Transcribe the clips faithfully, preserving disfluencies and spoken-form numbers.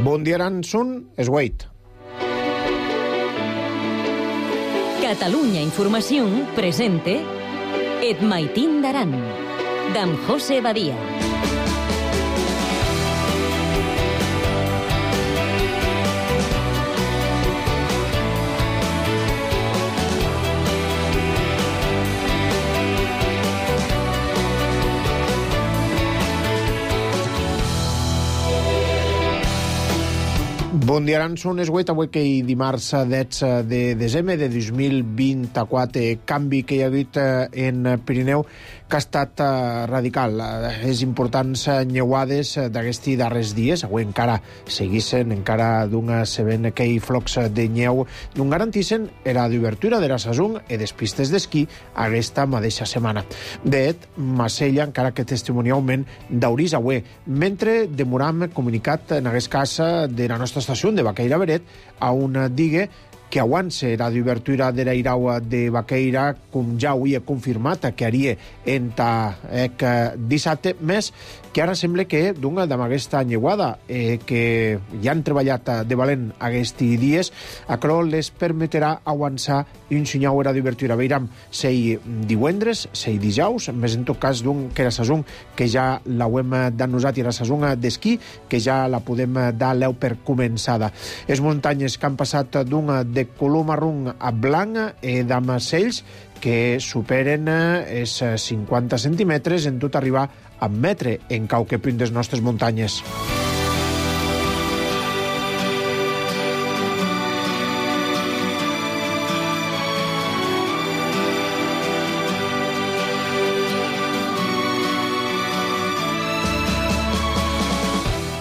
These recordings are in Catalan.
Bon dia, Aransun, és Wait. Catalunya Informació presente Et Maitín d'Aran, d'en José Badia. Bon dia, Aransun, és Wait, avui que hi dimarts dotze de desembre de dos mil vint-i-quatre. Canvi que hi ha hagut en Pirineu que ha estat radical. És importants nyeuades d'aquests darrers dies. Avui encara seguissin, encara d'un sabent que hi flocs de nyeu d'un garantissen era d'obertura de la saison i des pistes d'esquí aquesta mateixa setmana. Det, Massella, encara que testimonialment d'Aurís avui, mentre demoram comunicat en aquest cas de la nostra estació de Baqueira Beret a una digue que abans era d'obertura de l'airau de Baqueira, com ja ho havia confirmat que haria entre eh, dissabte, més que ara sembla que d'una amb aquesta nyeuada eh, que ja han treballat de valent aquests dies, això les permetrà avançar un senyal era d'obertura. Veiram sei divendres, sei dijous, més en tot cas d'un que era saison que ja l'hem d'anosat i era saison d'esquí, que ja la podem dar l'eu per començada. Les muntanyes que han passat d'un de color marró a blanc i d'amacells que superen els cinquanta centímetres en tot arribar a metre en qualque punt de les nostres muntanyes.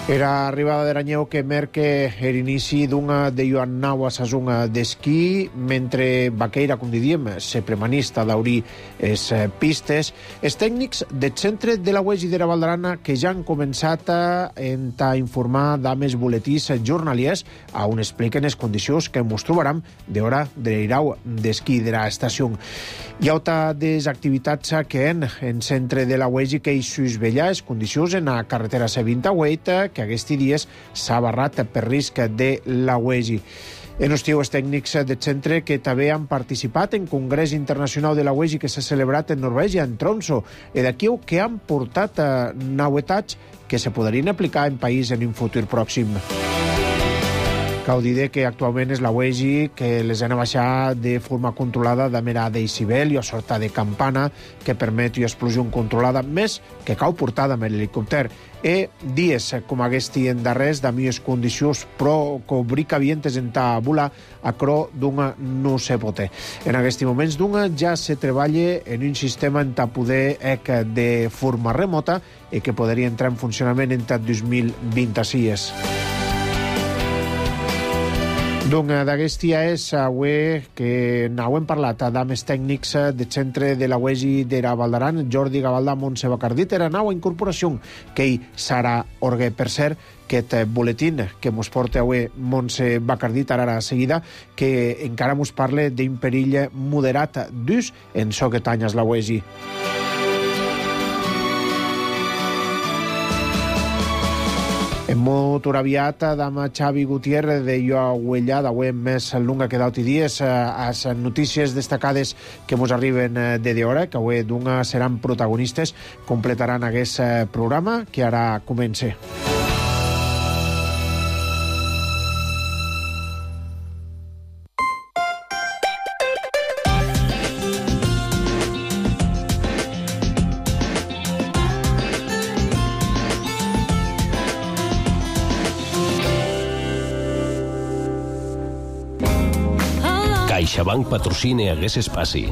Era arribada de l'anyeu que merque l'inici d'una de Joan Nau a saison d'esquí, mentre Baqueira, com diríem, se premanista d'obrir les pistes. Els tècnics del centre de la U E S I de la Val d'Aran que ja han començat a, a informar d'amés boletís jornaliers on expliquen les condicions que ens trobaram d'hora de l'airau d'esquí de l'estació. Hi ha altra des activitats que en en centre de la U E S I que hi susvellar les condicions en la carretera C vint-i-vuit que aquests dies s'ha barrat per risc de la U E S I. En estiu, els tècnics del centre que també han participat en Congrés Internacional de la U E S I que s'ha celebrat en Norvègia, en Tromsø, i d'aquí que han portat novetats que se podrien aplicar en país en un futur pròxim. Cal dir que actualment és la U E S I que les han baixat de forma controlada de mera decibel i a sorta de campana que permet una explosió controlada, més que cal portar amb l'helicòpter. E dies com aquest en darrers de millors condicions però cobricavientes en ta volar a cro d'una no se pote. En aquests moments d'una ja se treballa en un sistema en ta poder ec de forma remota i que podria entrar en funcionament en ta dos mil vint-i-sis. Donc, d'aquest dia és avui que n'hem parlat amb els tècnics del centre de la U E S I de la Val d'Aran, Jordi Gavaldà, Montse Bacardit, era nova incorporació que hi serà orgue. Per cert, aquest boletín que mos porta avui Montse Bacardit ara a seguida, que encara mos parla d'un perill moderat d'ús en so que tanyes la U E S I. En motor aviat, amb Xavi Gutiérrez de Ioahuella, d'avui més lunga que d'altres dies, a les notícies destacades que ens arriben de d'hora, que avui d'una seran protagonistes, completaran aquest programa que ara comença. CaixaBank patrocina hagués espaci.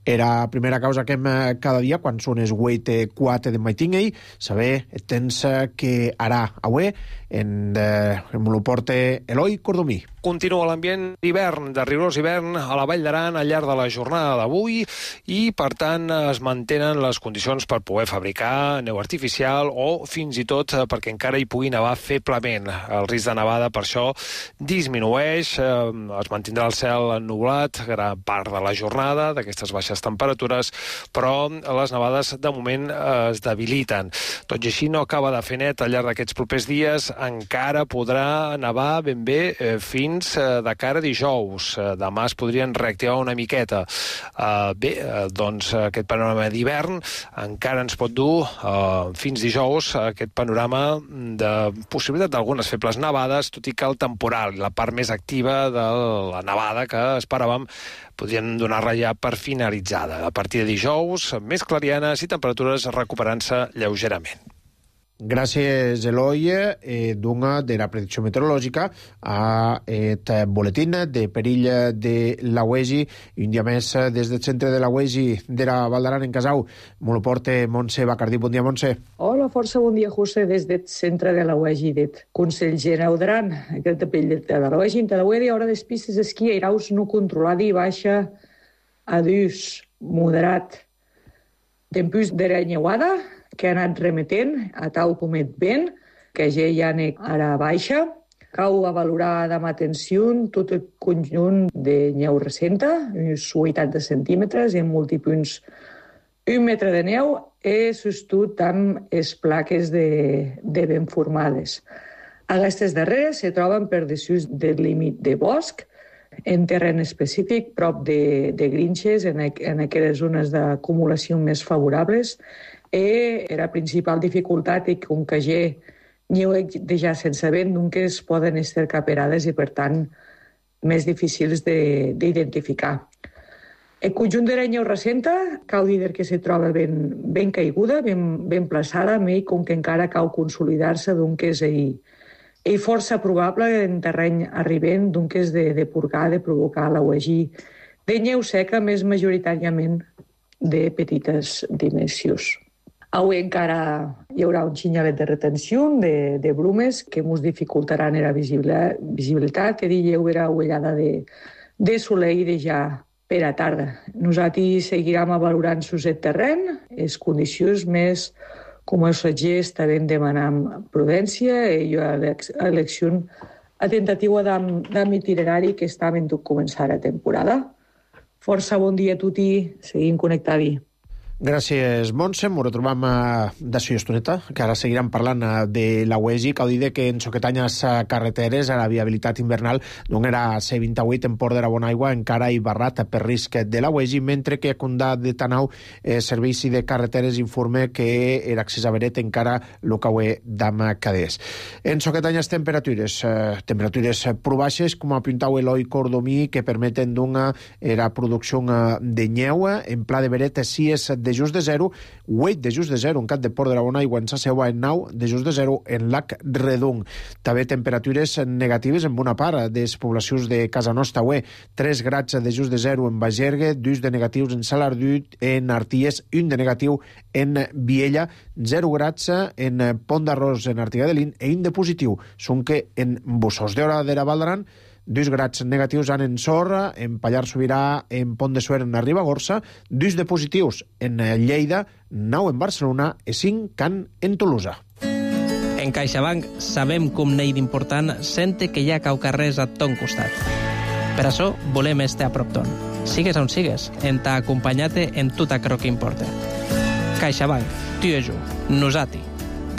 Era la primera causa que hem cada dia quan són els vuit quatre de Maitingei, saber tens que ara avui en, eh, en lo porta Eloi Cordomí. Continua l'ambient d'hivern, de rigorós hivern a la Vall d'Aran al llarg de la jornada d'avui i, per tant, es mantenen les condicions per poder fabricar neu artificial o fins i tot perquè encara hi pugui nevar feblement. El risc de nevada, per això, disminueix, eh, es mantindrà el cel ennublat gran part de la jornada d'aquestes baixes les temperatures, però les nevades de moment es debiliten. Tot i així no acaba de fer net al llarg d'aquests propers dies, encara podrà nevar ben bé eh, fins eh, de cara a dijous. Eh, demà es podrien reactivar una miqueta. Eh, bé, eh, doncs aquest panorama d'hivern encara ens pot dur eh, fins dijous aquest panorama de possibilitat d'algunes febles nevades, tot i que el temporal, la part més activa de la nevada que esperàvem, podrien donar-la ja per finalitzada. A partir de dijous, més clarianes i temperatures recuperant-se lleugerament. Gràcies, Eloi. Eh, d'una de la predicció meteorològica a et boletín de perill de la U E G I. I un dia més des del centre de la U E G I de la Val d'Aran en Casau. Me lo porta Montse Bacardí. Bon dia, Montse. Hola, força bon dia, José, des del centre de la U E G I del Consell Generau d'Aran. Aquest perill de la U E G I, de la U E G I, hora des pistes d'esquí a iraus no controlada i baixa a dus moderat. Tempus de renyeuada, que ha anat remetent a tau com et vent, que ja hi ha ara baixa. Cau a valorar amb atenció tot el conjunt de neu recenta, uns vuitanta centímetres, en multipunts un metre de neu, i sostut amb les plaques de, de vent formades. Aquestes darreres se troben per desús del límit de bosc, en terreny específic, prop de, de grinxes, en, en aquelles zones d'acumulació més favorables, i la principal dificultat és com que ja n'hi ha de ja sense vent, doncs poden estar caperades i, per tant, més difícils d'identificar. El conjunt de la neu recenta cal dir que se troba ben, ben caiguda, ben, ben plaçada, i com que encara cal consolidar-se, doncs és, és força probable en terreny arribent, doncs de, de purgar, de provocar la U E G I de neu seca, més majoritàriament de petites dimensions. Avui encara hi haurà un xinyalet de retenció de, de brumes que ens dificultaran la visibilitat, que hi haurà ullada de, de soleil de ja per a tarda. Nosaltres seguirem valorant sus el terreny, les condicions més com els ratgers també demanant prudència i jo elecció a tentativa d'am itinerari que està en tot començar la temporada. Força bon dia a tutti, seguim connectats. Gràcies, Montse. M'ho retrobam d'això i estoneta, que ara seguirem parlant de la U E G I. Cal dir que en soquetanyes carreteres a la viabilitat invernal no era C vint-i-vuit en Port de la Bonaigua encara hi barrat per risc de la U E G I, mentre que a Condà de Tanau eh, Servici de Carreteres informa que l'accés a Beret encara lo caué d'ama cadés. En soquetanyes temperatures, eh, temperatures prou baixes, com apuntau Eloi Cordomí, que permeten d'una la producció de nyeu. En pla de Beret, si és de just de zero, vuit de just de zero en Cap de Port de la Bonaigua, en Saseua, en nou de just de zero en Lac Redung. També temperatures negatives en bona part de les poblacions de Casa Nostra, ué, tres grads de just de zero en Bagergue, dos de negatius en Salardut, en Arties, un de negatiu en Viella, zero grads en Pont d'Arròs en Artigadelín e un de positiu són que en Bussos d'Hora de la Val d'Aran, dos grads negatius han en Sorra, en Pallar Sobirà, en Pont de Suert, en la Ribagorça, dos de positius en Lleida, nou en Barcelona i cinc can en Tolosa. En CaixaBank sabem com n'hi d'important sente que hi ha cau carrers a ton costat. Per això volem estar a prop ton. Sigues on sigues, en t'ha acompanyat en tot aquello que importa. CaixaBank, tu i jo, nosati.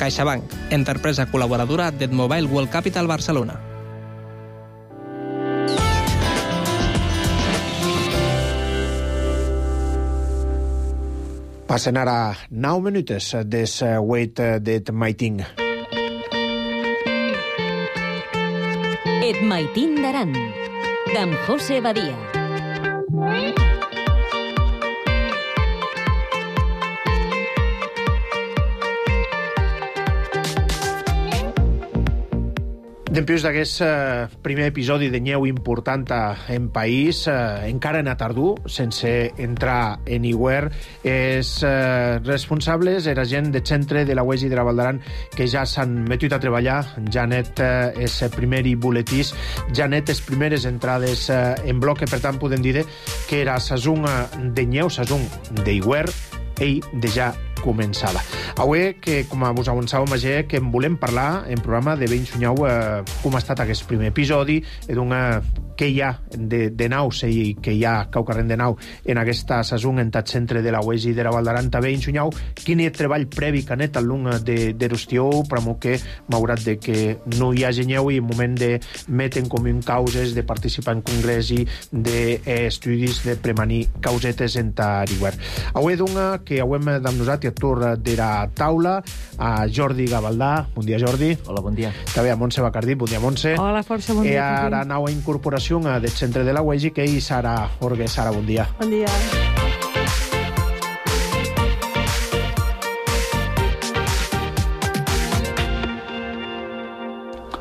CaixaBank, empresa col·laboradora del Mobile World Capital Barcelona. Passen ara nou minutes des huit d'et maitin. Et maitin d'Aran, d'en José Badia. Després d'aquest eh, primer episodi de nyeu important en país, eh, encara en tardor, sense entrar en iguer, els eh, responsables era gent de centre de la U E G I de la Val d'Aran que ja s'han metut a treballar. Janet eh, és primer i boletís, Janet és primeres entrades eh, en bloc, per tant podem dir que era sazón de nyeu, sazón d'iguer, ell de ja començada. Avui, que com vos avançàvem ayer, que en volem parlar en programa de ben soñau eh, com ha estat aquest primer episodi, i d'una que hi ha de, de naus i que hi ha caucarren de nau en aquesta sason en tat centre de la U E G de la Val d'Aran. També ensunyau quin és treball previ que anet al lung de, de Rustió, però que malgrat de que no hi ha genyeu i en moment de meten com un causes, de participar en congrés i d'estudis de premanir causetes en tariguer. Avui dunga que hauem amb nosaltres a tur de la taula a Jordi Gavaldà. Bon dia, Jordi. Hola, bon dia. També a Montse Bacardí. Bon dia, Montse. Hola, força, bon dia. I ara nau a incorporació del centre de la U E G que hi Sara Orgue. Sara, bon dia. Bon dia.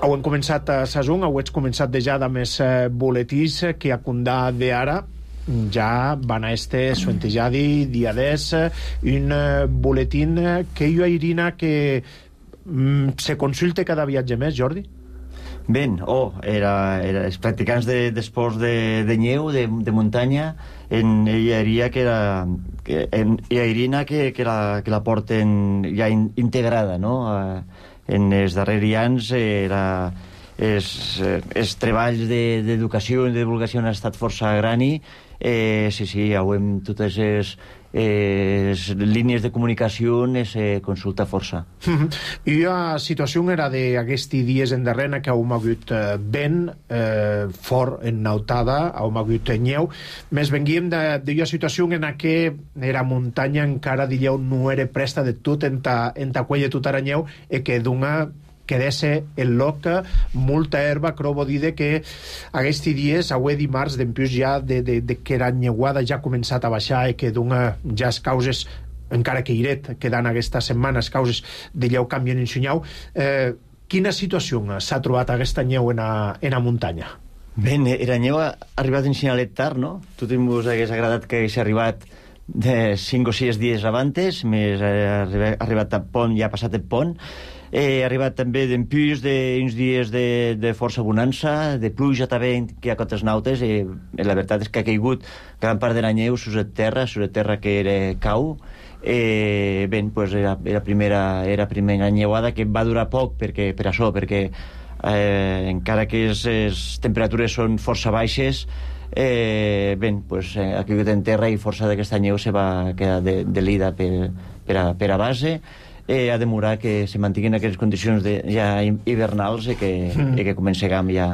Heu començat a Sasung, heu començat de ja de més eh, boletís que a condà d'ara ja van a este suentejadi dia des un eh, boletín que jo Irina que mm, se consulte cada viatge més, Jordi? Ben, oh, era, era els practicants de, d'esports de, de neu, de, de muntanya, en ella diria que era que, en ella Irina que, que, la, que la porten ja in, integrada, no? Uh, en els darrers anys era els, els treballs d'educació i de divulgació han estat força grani. Eh, sí, sí, ja ho hem totes les, eh, les línies de comunicació es eh, consulta força. I la situació era d'aquests dies en darrere que hem hagut eh, vent eh, fort ennautada, hem hagut nyeu, més venguíem de, de la situació en què era muntanya encara dieu no era presta de tot en ta, en ta quella tot aranyeu i que d'una quedesse el loc molta herba, però vol dir que aquests dies, avui dimarts, d'empius ja de, de, de que la nyeuada ja ha començat a baixar i que d'una ja les causes, encara que iret, quedant aquesta setmana, les causes de lleu canvien en sunyau. Eh, quina situació s'ha trobat aquesta nyeu en a, en a muntanya? Ben, era nyeu ha arribat en signalet tard, no? Tot ens hagués agradat que hagués arribat de cinc o sis dies abantes, més ha arribat a pont, ja ha passat el pont. He arribat també d'empús d'uns dies de, de força bonança, de pluja també que hi ha cotes nautes, i la veritat és que ha caigut gran part de la neu sus a terra, sus a terra que era cau. Eh, ben, pues era, era, primera, era primera nyeuada que va durar poc perquè, per això, perquè eh, encara que les temperatures són força baixes, eh, ben, pues, eh, ha caigut en terra i força d'aquesta neu se va quedar de, de lida per, per, a, per a base. Eh, ha de demorar que se mantinguin aquestes condicions de, ja hivernals i que, mm. i que comencem ja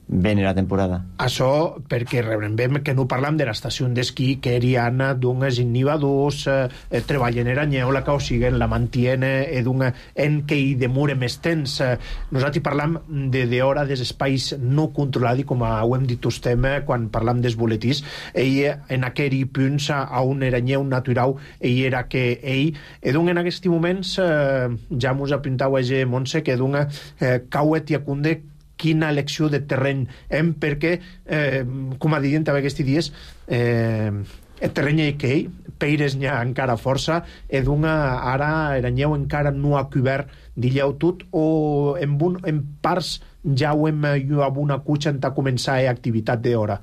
ben la temporada. Això perquè rebrem que no parlam de l'estació d'esquí que eriana d'uns innivadors eh, treballen en anyeu la que o siguen la mantiene eh, d'un en que hi demore més temps. Eh, nosaltres parlam de, de hora des espais no controlats i com ho hem dit ustem quan parlam dels boletís, ell en aquell punts a un eranyeu natural ell era que ell edun en aquests moments eh, ja mos apuntau a ege Montse que d'un eh, cauet i acunde quina elecció de terreny hem, perquè, eh, com a dient també aquests dies, eh, el terreny que ell, peires n'hi ha encara força, i d'una ara eranyeu encara no ha cobert dilleu tot, o en, un, en parts ja ho hem amb una cutxa en ta començar a activitat d'hora.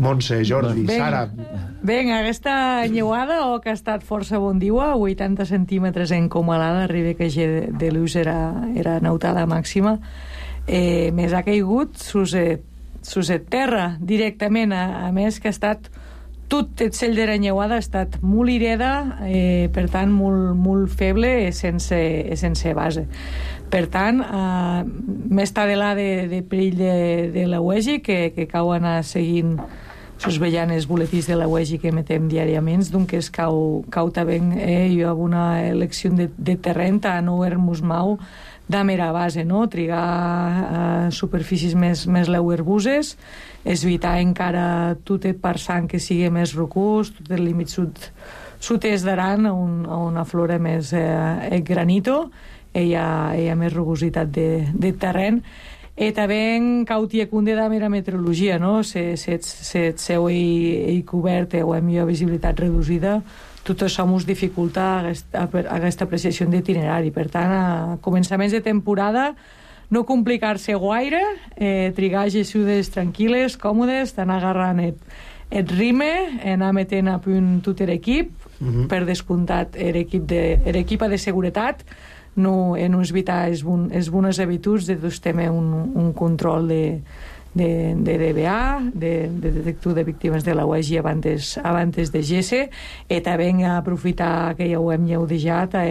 Montse, Jordi, ben, Sara... Ben, aquesta nyeuada o que ha estat força bon diua, vuitanta centímetres en comalada, arriba que de, de l'ús era, era nautada màxima, eh, més ha caigut sus, eh, sus et terra directament, a, a més que ha estat tot el cell de la nyeuada ha estat molt ireda, eh, per tant molt, molt feble, sense, sense base. Per tant, eh, més tadelà de, de perill de, de la U E G que, que cau anar seguint sus veient els boletins de la U E G que emetem diàriament, doncs es cau, cau també eh, jo amb una elecció de, de terreny a no haver-nos mau de mera base, no? Trigar a superfícies més, més leuerbuses, evitar encara tot el parsant que sigui més rocós, tot el límit sud, sud-est d'Aran, on, on aflora més eh, el granito, hi ha, hi ha més rugositat de, de terreny. E també cautia cunde de mera meteorologia, no? Se, se, se et seu i cobert o amb millor visibilitat reduïda, tot això ens dificulta aquesta, aquesta apreciació d'itinerari. Per tant, a començaments de temporada, no complicar-se guaire, eh, trigar gessudes tranquil·les, còmodes, d'anar agarrant el, el rime, anar metent a punt tot l'equip, mm-hmm. per descomptat l'equip de, de seguretat, no, en evitar les, bon, les bones habituds de doncs, també un, un control de, de, de D B A, de, de detectiu de víctimes de la U E G abans, abans de G S E, e també aprofitar que ja ho hem lleudejat a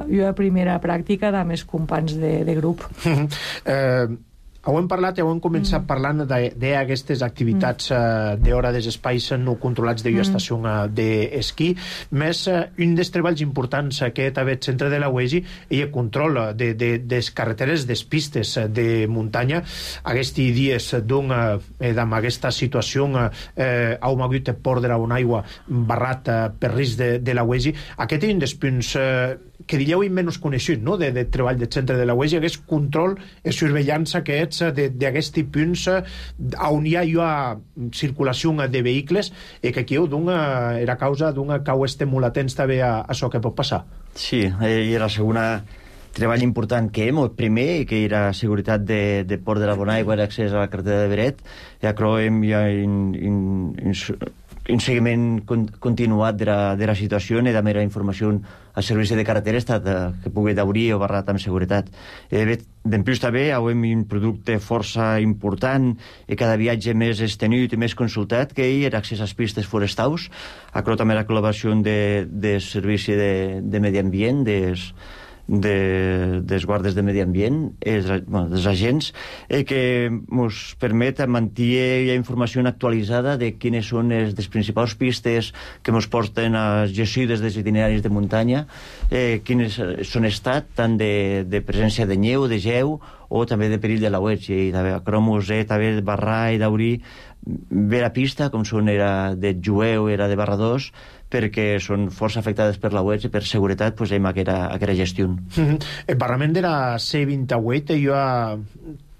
una primera pràctica de més companys de, de grup. eh, Ho hem parlat, ho hem començat mm. parlant d'aquestes activitats mm. uh, d'hora dels espais no controlats de mm. estació d'esquí, més uh, un dels treballs importants que també el centre de la U E G i el control de, de, des carreteres, des pistes de muntanya. Aquests dies d'un, eh, amb aquesta situació eh, heu hagut de perdre una aigua barrat eh, per risc de, de la U E G. Aquest és un dels punts eh, que diríeu menys coneixut, no?, de, de treball del centre de la U E G, aquest control i surveillança que ets d'aquests punts on hi ha, hi ha circulació de vehicles i que aquí dona, era causa d'una cau estem molt atents també a això que pot passar. Sí, i la segona treball important que hem, el primer, que era seguretat de, de Port de la Bonaigua i l'accés a la carretera de Beret, ja creiem ja in, in, in, un seguiment continuat de la, de la situació i també la informació al servici de carreteres que pugui d'obrir o barrat amb seguretat. Eh, D'en plus també hem un producte força important i cada viatge més estenut i més consultat que hi era accés a les pistes forestals, acro també la col·laboració de, de servici de, de medi ambient, des de, dels guardes de medi ambient, és, bueno, dels agents, eh, que ens permet mantenir informació actualitzada de quines són les, les principals pistes que ens porten a gestides dels itineraris de muntanya, eh, quines són estat tant de, de presència de neu, de geu o també de perill de la U E G, i també a cromos, eh, també barrar i d'obrir bé la pista, com són era de Jueu, era de barra dos, perquè són força afectades per la U E G i per seguretat pues, hem aquesta, aquesta gestió. Mm-hmm. El barrament de la C vint-i-vuit hi ha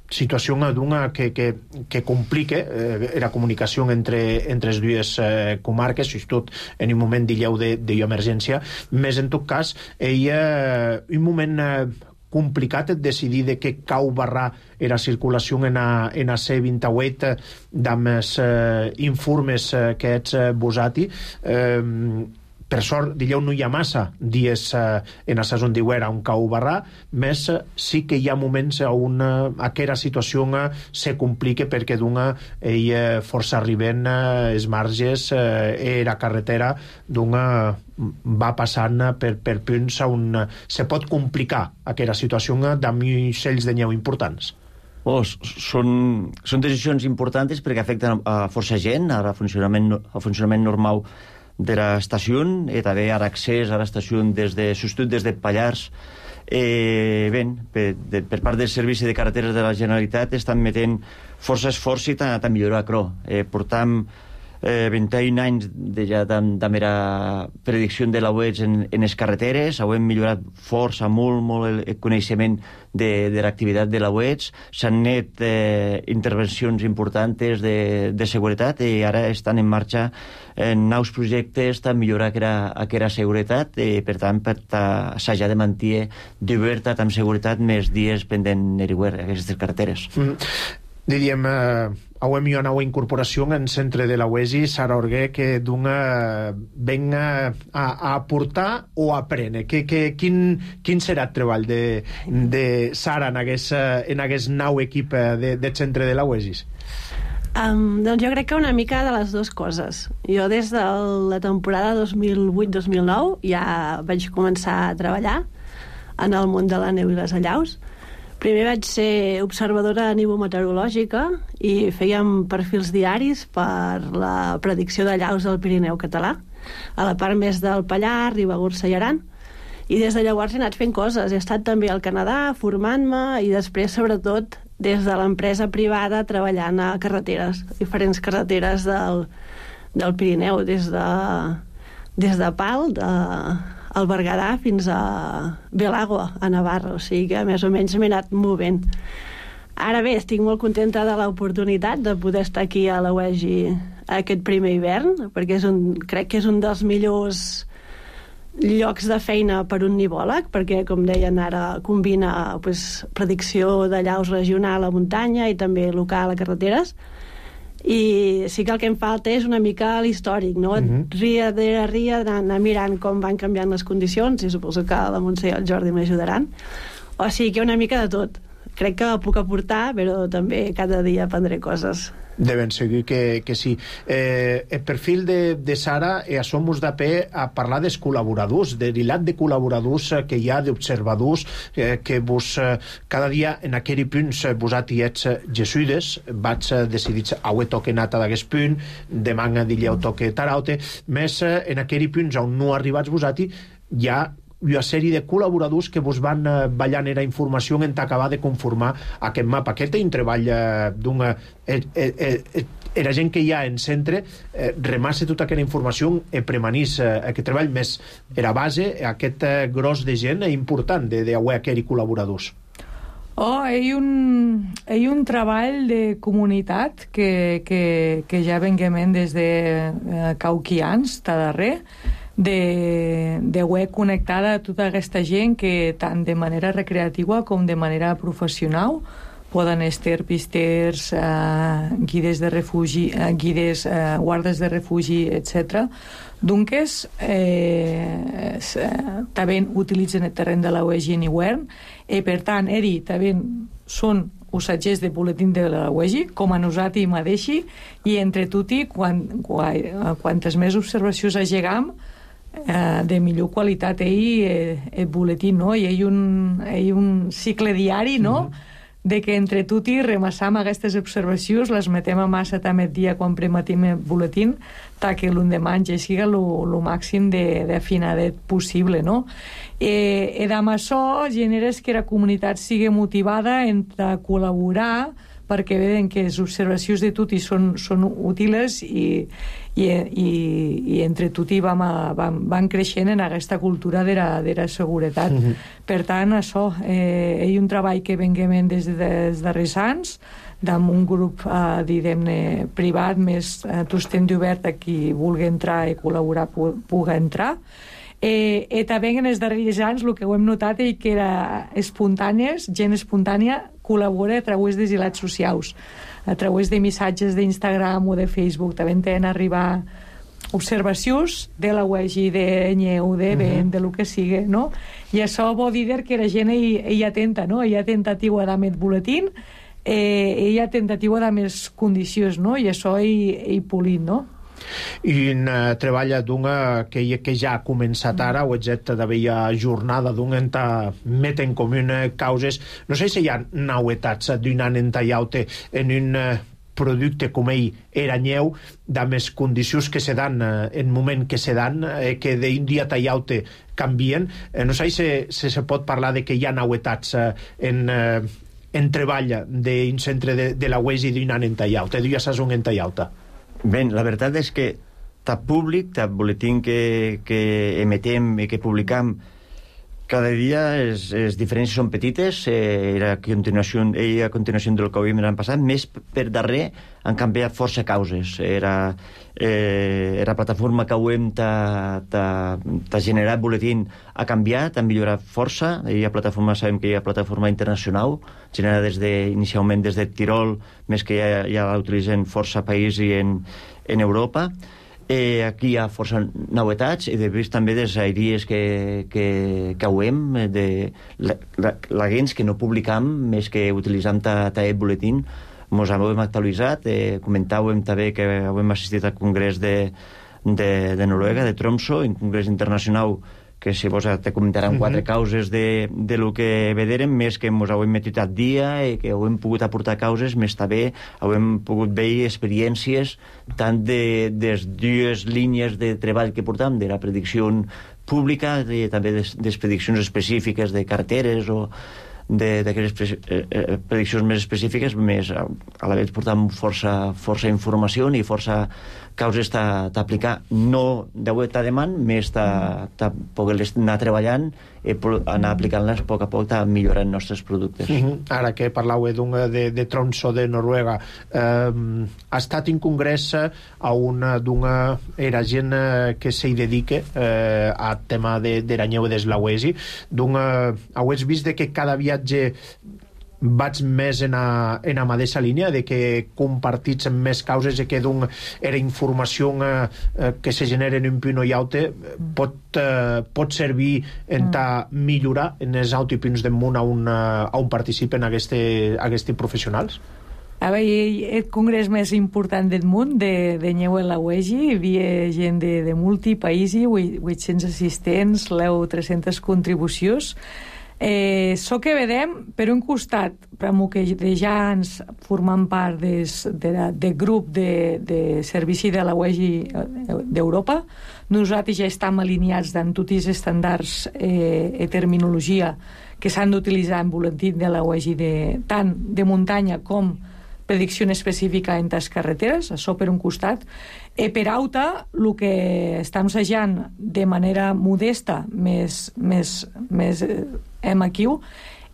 situació d'una que, que, que complica eh, la comunicació entre, entre les dues eh, comarques, tot en un moment d'illeu d'emergència, més en tot cas hi ha un moment eh, complicat et decidir de què cau barrar era circulació en a, en a C vint-i-vuit amb els eh, informes eh, que ets eh, vosati. Eh, per sort, digueu, no hi ha massa dies eh, en a saison d'hivern on cau barrar, més eh, sí que hi ha moments on eh, aquesta situació eh, se complica perquè d'una hi eh, força arriben eh, els marges eh, i la carretera d'una va passant per, per punts on se pot complicar aquesta situació amb cells de neu importants. Oh, són, són decisions importants perquè afecten a força gent, al funcionament, al funcionament normal de l'estació i també a l'accés a l'estació des de, substitut des de Pallars. Eh, bé, per, de, per part del Servici de Carreteres de la Generalitat estan metent força esforç i tant millorar, crò. Eh, portam eh, vint-i-un anys de ja de la predicció de la U E G en, en les carreteres, ho hem millorat força, molt, molt el, el coneixement de, de l'activitat de la U E G, s'han net eh, intervencions importants de, de seguretat i ara estan en marxa en nous projectes per millorar aquella, aquella seguretat i per tant per s'haja de mantenir d'oberta amb seguretat més dies pendent everywhere aquestes carreteres. Mm. Diríem, eh, avui hi ha una nova incorporació en centre de la U E G, Sara Orguer, que d'una venga a, a aportar o a aprendre. Que, que, quin, quin serà el treball de, de Sara en aquest, en aquest nou equip de, de centre de la U E G? Um, doncs jo crec que una mica de les dues coses. Jo des de la temporada dos mil vuit dos mil nou ja vaig començar a treballar en el món de la neu i les allaus. Primer vaig ser observadora nivometeorològica i fèiem perfils diaris per la predicció d'allaus del Pirineu català, a la part més del Pallars, Ribagorça i Aran. I des de llavors he anat fent coses. He estat també al Canadà formant-me i després, sobretot, des de l'empresa privada treballant a carreteres, diferents carreteres del, del Pirineu, des de, des de Pal, de al Berguedà fins a Belagua, a Navarra, o sigui que més o menys m'he anat movent. Ara bé, estic molt contenta de l'oportunitat de poder estar aquí a la U E G aquest primer hivern, perquè és un, crec que és un dels millors llocs de feina per un nivòleg, perquè, com deien ara, combina pues, predicció d'allaus regional a muntanya i també local a carreteres. I sí que el que em falta és una mica l'històric, no? Uh-huh. Ria de ria, anar mirant com van canviant les condicions, i suposo que la Montse i el Jordi m'ajudaran. O sigui que una mica de tot. crec que la puc aportar, però també cada dia aprendré coses. De ben segur que, que sí. Eh, el perfil de, de Sara eh, som-nos de pe a parlar dels col·laboradors, de l'ilat de col·laboradors eh, que hi ha, d'observadors, eh, que vos eh, cada dia en aquell punt eh, vosaltres ets eh, jesuïdes, vaig eh, decidir avui toque nata d'aquest punt, demà dilleu toque taraute, més eh, en aquell punts on no arribats vosaltres hi ha una sèrie de col·laboradors que vos van eh, ballant era informació en acabar de conformar aquest mapa. Aquest és un treball eh, d'una... Eh, eh, eh, era gent que hi ha en centre, eh, remassa tota aquella informació i premanís eh, aquest treball més era base, aquest eh, gros de gent important de, de aquells col·laboradors. Oh, hi ha un, hi ha un treball de comunitat que, que, que ja venguem des de eh, cauquians, ta darrer, de, de web connectada a tota aquesta gent que tant de manera recreativa com de manera professional poden estar pisters, eh, guides de refugi, eh, guides, eh, guardes de refugi, etcètera. Dunques, eh, eh, també utilitzen el terreny de la U E G Anywhere i, per tant, eri també són usatgers de boletín de la U E G, com a nosaltres mateixi, i entre tutti, quan, quan, quantes més observacions agegam, eh, de millor qualitat ell eh, el boletín, no? I hi ha un, hi ha un cicle diari, no?, mm-hmm. de que entre tutti remassam aquestes observacions, les metem a massa també el dia quan prematim el boletín, ta que l'endemà ja siga el màxim d'afinadet possible, no? Eh, i amb això generes que la comunitat sigui motivada entre col·laborar perquè veuen que les observacions de tutti són, són útils i, i, i, i entre tutti vam, a, vam, vam creixent en aquesta cultura de la, de la seguretat. Mm-hmm. Per tant, això, eh, hi ha un treball que venguem des dels darrers anys, amb un grup, eh, diguem-ne, privat, més eh, tostent d'obert a qui vulgui entrar i col·laborar pu pugui entrar. Eh, i també en els darrers anys el que ho hem notat és que era espontànies, gent espontània col·labora a través de hilats socials, a través de missatges d'Instagram o de Facebook. També tenen arribar observacions de la U E G, de Nyeu, de Ben, de lo que sigui, no? I això vol dir que la gent hi, hi atenta, no? Hi ha tentativa de més boletín, eh, hi ha tentativa de més condicions, no? I això hi, hi polit, no? I un uh, treball d'una que, que ja ha començat ara, o etcètera, d'haver jornada d'una en met en comú causes. No sé si hi ha novetats d'un any en tallaute en un uh, producte com ell era nyeu, de més condicions que se dan uh, en moment que se dan, uh, que d'un dia tallaute canvien. Uh, no sé si, si se pot parlar de que hi ha novetats uh, en... Uh, en treball d'un centre de, de la U E G d'un any en tallaute, d'un sason en tallaute. Bé, la veritat és que tant públic, tant boletín que, que emetem i que publicam cada dia, les, les diferències són petites, eh, era a continuació, eh, a continuació del que ho havíem l'any passat, més per darrer han canviat força causes. Era, eh, era plataforma que ho hem t'ha generat boletín, ha canviat, ha millorat força. Hi ha plataforma, sabem que hi ha plataforma internacional, generada des de, inicialment des de Tirol, més que ja, ja l'utilitzen força països en, en Europa. Eh, aquí hi ha força novetats i de vist també des aèries que, que, que ho hem de la, la, la gens que no publicam més que utilitzam el boletín mos hem actualitzat, eh, comentàvem també que hem assistit al congrés de, de, de Noruega, de Tromsø, un congrés internacional que si vos te comentaran uh-huh. quatre causes de, de lo que vedérem, més que ens hem metit al dia i que hem pogut aportar causes, més també hem pogut veure experiències tant de, de les dues línies de treball que portam, de la predicció pública i també de les prediccions específiques de carteres o d'aquelles prediccions més específiques, més a la vegada portam força, força informació i força causes d'aplicar, no de web a demanda, més de poder anar treballant i anar aplicant-les a poc a poc a millorar els nostres productes. Uh-huh. Ara que parlau de, de Tromsø de Noruega, eh, ha estat un congrés a una d'una era gent que s'hi dedica eh, al tema de, de la nyeu des la U E S I, d'una, heu vist que cada viatge vaig més en a, en a mateixa línia de que compartits més causes i que d'un era informació eh, que se genera en un punt i altre pot, eh, pot servir en ta millorar en els autopunts del món a un, a un participen aquests professionals? A veure, el congrés més important del món de, de Nyeu en la U E G I, hi havia gent de, de multi països, vuit-cents assistents, l'eu tres-centes contribucions. Eh, so que vedem, per un costat, per que de ja ens formant part des, de, de grup de, de servici de la U E G I d'Europa, nosaltres ja estem alineats en tots els estàndards eh, i terminologia que s'han d'utilitzar en boletí de la U E G I de, tant de muntanya com predicció específica en les carreteres, això per un costat. I per alta, el que estem assajant de manera modesta, més, més, més hem aquí,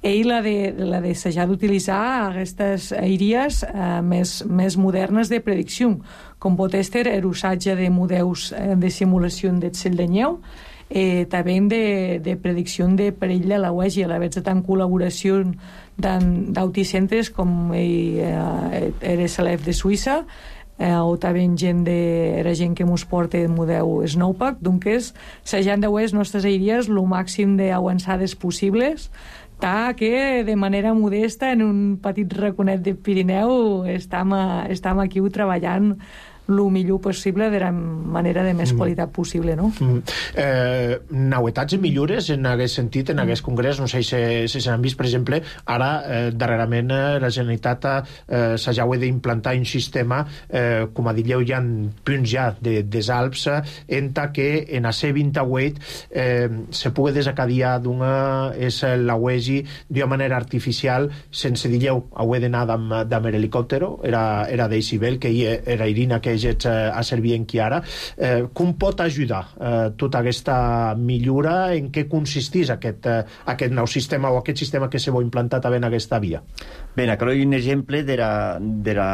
és la de, la de assajar d'utilitzar aquestes aèries eh, més, més modernes de predicció, com pot ser l'usatge de models de simulació del cel de neu, eh, també de, de predicció de perill de la U E G I, a la vegada en col·laboració d'autocentres com eh, era S L F de Suïssa, eh, o també gent de, era gent que mos porta el model Snowpack, doncs s'han de les nostres aèries el màxim d'avançades possibles, ta que de manera modesta en un petit raconet de Pirineu estem, a, estem aquí treballant el millor possible de la manera de més qualitat possible, no? Mm. Eh, novetats i millores en aquest sentit, en aquest congrés, no sé si, si s'han vist, per exemple, ara, eh, darrerament, eh, la Generalitat eh, s'ha d'implantar un sistema, eh, com a dieu, hi ha punts ja de, des Alps, eh, en que en a C vint-i-vuit eh, se pugui desacadiar d'una és la U E G I d'una manera artificial, sense dieu, ho he d'anar amb helicòptero, era, era d'Eisibel, que era Irina, que a servir en qui ara. Eh, com pot ajudar eh, tota aquesta millora? En què consistís aquest, eh, aquest nou sistema o aquest sistema que se vol implantar també en aquesta via? Bé, aquí hi ha un exemple de la, de la,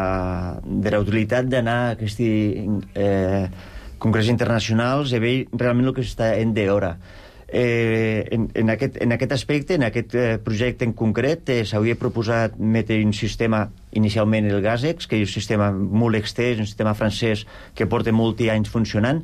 de la utilitat d'anar a aquests eh, congrés internacionals i veure realment el que s'està en d'hora. Eh, en, en, aquest, en aquest aspecte, en aquest eh, projecte en concret, eh, s'hauria proposat metre un sistema, inicialment el GASEX, que és un sistema molt extès, un sistema francès que porta molts anys funcionant,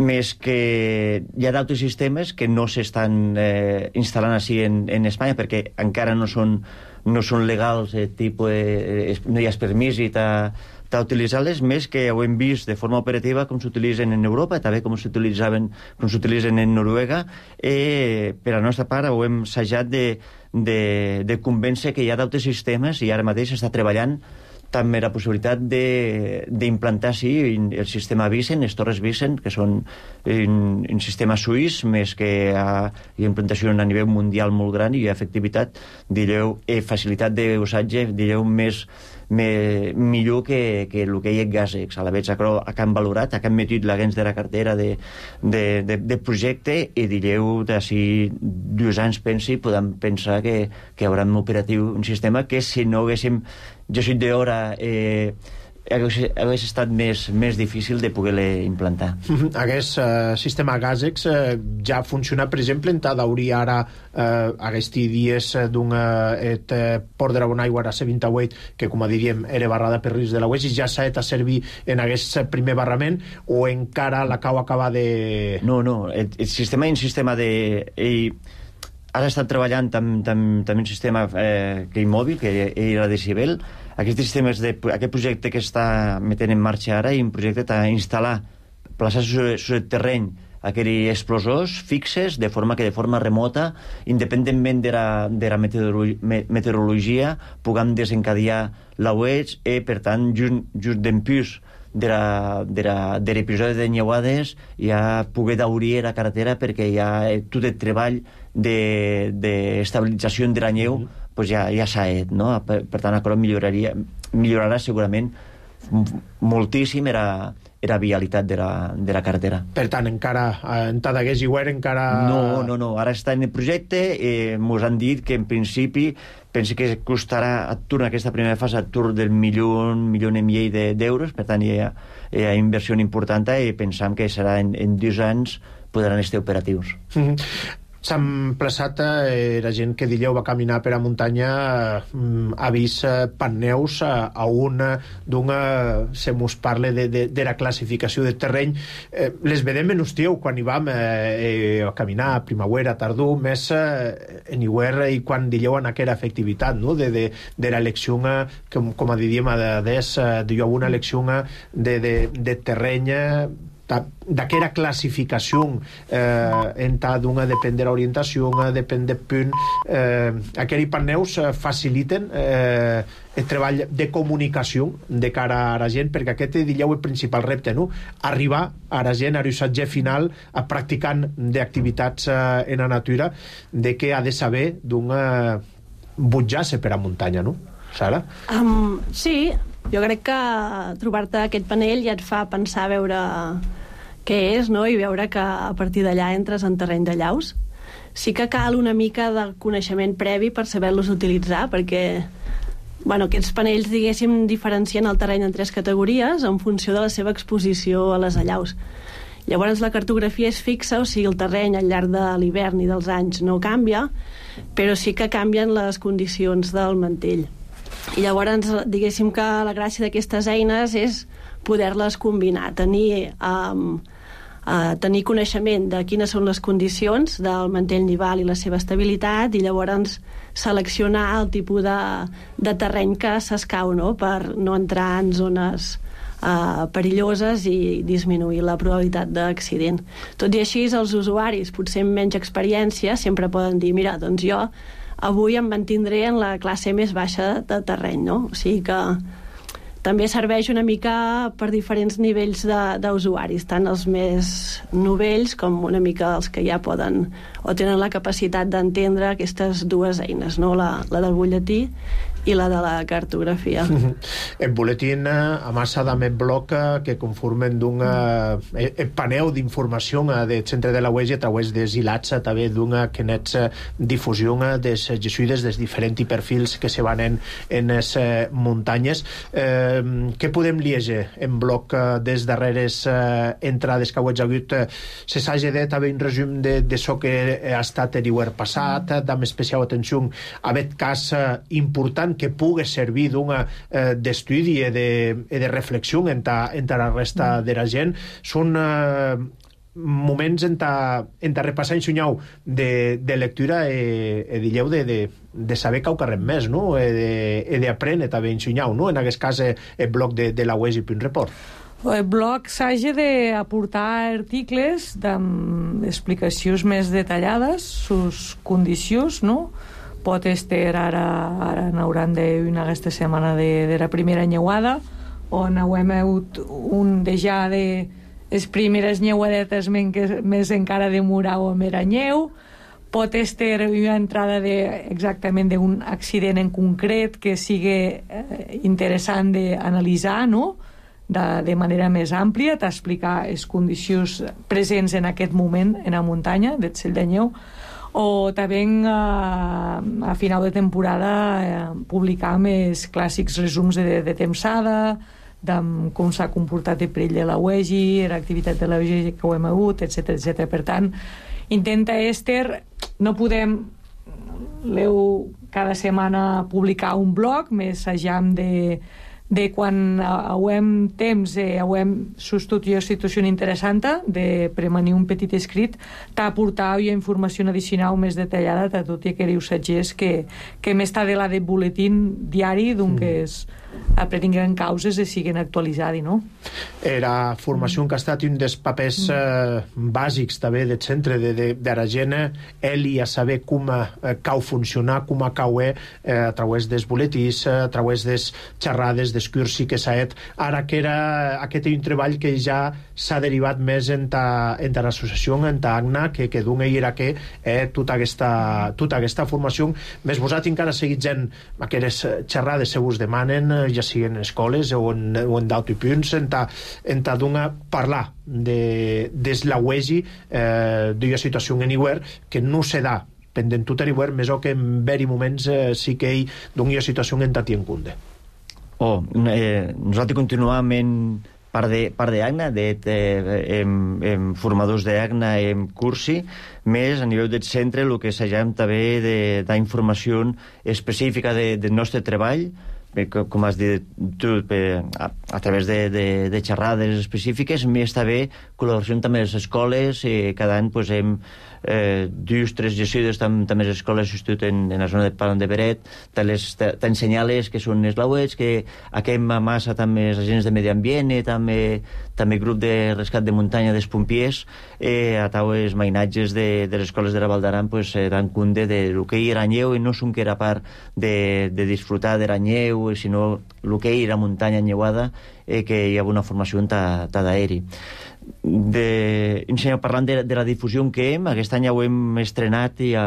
més que hi ha d'altres sistemes que no s'estan eh, instal·lant així en, en Espanya perquè encara no són, no són legals, eh, tipus, eh, no hi ha permís i ta utilitzar-les, més que ho hem vist de forma operativa com s'utilitzen en Europa, també com s'utilitzaven, com s'utilitzen en Noruega. Eh, per a la nostra part ho hem assajat de, de, de convèncer que hi ha d'altres sistemes i ara mateix s'està treballant també la possibilitat d'implantar, sí, el sistema Vicent, les torres Vicent, que són un, un sistema suís, més que hi ha implantació a nivell mundial molt gran i efectivitat, direu, eh, facilitat d'usatge, direu, més Me, millor que, que el que hi ha GASEX. A la vegada que han valorat, que han metit l'agents de la cartera de, de, de, de projecte i direu d'ací dos anys pensi, podem pensar que, que hi haurà un operatiu, un sistema que si no haguéssim jo soc d'hora eh, hagués, hagués estat més, més difícil de poder-le implantar. Aquest uh, sistema GASEX uh, ja funciona, per exemple, en Tadaurí ara uh, aquests dies d'un uh, port de la Bonaigua a C vint-i-vuit, que com a diríem era barrada per risc de la U E G I, ja s'ha de servir en aquest primer barrament o encara la cau acaba de... No, no, el, el sistema és un sistema de... Ell, ara està treballant també tam, tam un sistema eh, que immòbil, que era de Decibel. Aquest, sistemes de, aquest projecte que està metent en marxa ara, i un projecte a instal·lar, plaçar sobre el terreny aquells explosors fixes, de forma que de forma remota, independentment de la, de la meteorologia, meteorologia, puguem desencadenar la U E G I, i per tant, just, just d'empús de l'episodi de Nyeuades ja poder daurir la carretera perquè hi ha tot el treball d'estabilització de, de la neu mm -hmm. pues ja, ja s'ha fet, no? Per, per tant, això milloraria, millorarà segurament moltíssim era era vialitat de la, de la carretera. Per tant, encara en Tadagués i Guer encara... No, no, no, ara està en el projecte, eh, mos han dit que en principi penso que costarà a Tur, en aquesta primera fase, a Tur del milió, milió i mig d'euros, per tant hi ha, hi ha inversió important i pensam que serà en, en dos anys podran estar operatius. Mm-hmm. s'han plaçat eh, la gent que dileu va caminar per a muntanya eh, ha vist eh, panneus eh, a un d'una se mos parle de, de, de la classificació de terreny eh, les vedem en hostieu quan hi vam eh, a caminar a primavera, tardor més eh, en hivern i quan dileu en aquella efectivitat no? de, de, de l'elecció com, com a diríem a des de jo una elecció de, de, de terreny d'aquella classificació eh, en ta d'una depèn de l'orientació, depèn de punt eh, aquells panneus faciliten eh, el treball de comunicació de cara a la gent, perquè aquest dileu el principal repte, no? Arribar a la gent, a l'ussatge final, a practicant d'activitats eh, en la natura, de què ha de saber d'una butjar-se per a muntanya, no? Sara? Um, sí, jo crec que trobar-te aquest panell ja et fa pensar a veure què és, no? I veure que a partir d'allà entres en terreny de llaus. Sí que cal una mica de coneixement previ per saber-los utilitzar, perquè bueno, aquests panells, diguéssim, diferencien el terreny en tres categories en funció de la seva exposició a les allaus. Llavors la cartografia és fixa, o sigui, el terreny al llarg de l'hivern i dels anys no canvia, però sí que canvien les condicions del mantell. I llavors, diguéssim que la gràcia d'aquestes eines és poder-les combinar, tenir, um, uh, tenir coneixement de quines són les condicions del mantell nival i la seva estabilitat, i llavors seleccionar el tipus de, de terreny que s'escau, no? Per no entrar en zones uh, perilloses i disminuir la probabilitat d'accident. Tot i així, els usuaris, potser amb menys experiència, sempre poden dir, mira, doncs jo avui em mantindré en la classe més baixa de terreny, no? O sigui que també serveix una mica per diferents nivells d'usuaris, tant els més novells com una mica els que ja poden o tenen la capacitat d'entendre aquestes dues eines, no? La, la del butlletí i la de la cartografia. El buletín a massa de met bloc que conformen d'un eh, paneu d'informació del centre de la U E G a través dels hilats també d'una que nets difusió des jesuïdes dels diferents perfils que se van en, en les eh, muntanyes. Eh, què podem llegir en bloc eh, des darreres eh, entrades que heu hagut? Eh, se s'ha dit també un resum de, de so que ha estat l'hivern passat, amb especial atenció a aquest cas eh, important que pugui servir d'una eh, d'estudi i de, de reflexió entre en la resta de la gent. Són eh, moments en ta, en ta repassar en sunyau de, de lectura i eh, dilleu de, de, de saber que ho carrem més, no? I d'aprendre també en sunyau, no? En aquest cas eh, el bloc de, de la U E G Punt Report. El bloc s'hagi d'aportar articles amb explicacions més detallades, sus condicions, no? Pot estar ara, ara n'hauran d'una aquesta setmana de, de la primera nyeuada, on hem hagut un de ja de les primeres nyeuadetes més encara de murau o meranyeu. Pot estar una entrada de, exactament d'un accident en concret que sigui eh, interessant d'analitzar, no? De, de manera més àmplia, t'explicar les condicions presents en aquest moment en la muntanya del cel de neu, o també eh, a final de temporada eh, publicar més clàssics resums de, de tempsada, de com s'ha comportat el perill de la U E G, l'activitat de la U E G que ho hem hagut, etcètera etcètera. Per tant, intenta Esther, no podem leu cada setmana publicar un blog, més ajam de de quan hauem temps, eh, hauem sostut una situació interessant de premanir un petit escrit, t'aportar una informació addicional més detallada de tot i aquells usatgers que, que més està de la de boletín diari d'un que és aprenguin causes i siguen actualitzades, no? Era formació que ha estat un dels papers eh, bàsics també del centre de, de, de la gent, ell a saber com eh, cau funcionar, com cau eh, a través dels boletins, a través des xerrades, des cursi que s'ha fet. Ara que era aquest un treball que ja s'ha derivat més en ta, en ta l'associació, en ta ACNA, que, que d'un ell era que eh, tota, aquesta, tota aquesta formació. Més vosaltres encara seguitzen aquelles xerrades se us demanen, ja siguin en escoles o en, o en d'altres punts, en ta, en ta d'una parlar de, des la U E G eh, d'una situació en hivern que no se da pendent tot l'hivern, més o que en veri moments eh, sí que ell d'una situació en ta tien cunde. Oh, eh, nosaltres continuam en part de, part d'Agna, de, de, em, em, formadors d'Agna, em cursi, més a nivell del centre el que s'agem també d'informació específica de, del nostre treball, com has dit tu, a, a través de, de, de xerrades específiques, més també col·laboració també a les escoles, eh, cada any pues, hem eh, dues, tres gestides també tam, les escoles institut en, en la zona de Palan de Beret, t'ensenyar-les que són els lauets, que aquem a massa també els agents de medi ambient, eh, també, també grup de rescat de muntanya dels pompiers, eh, a tau els mainatges de, de les escoles de la Val d'Aran pues, eh, dan compte de lo que hi era anyeu, i no som que era part de, de disfrutar de l'anyeu, sinó el que hi era muntanya enyeuada, eh, que hi ha una formació ta, ta d'aeri. De, parlant de, de la difusió que hem, aquest any ja ho hem estrenat i a,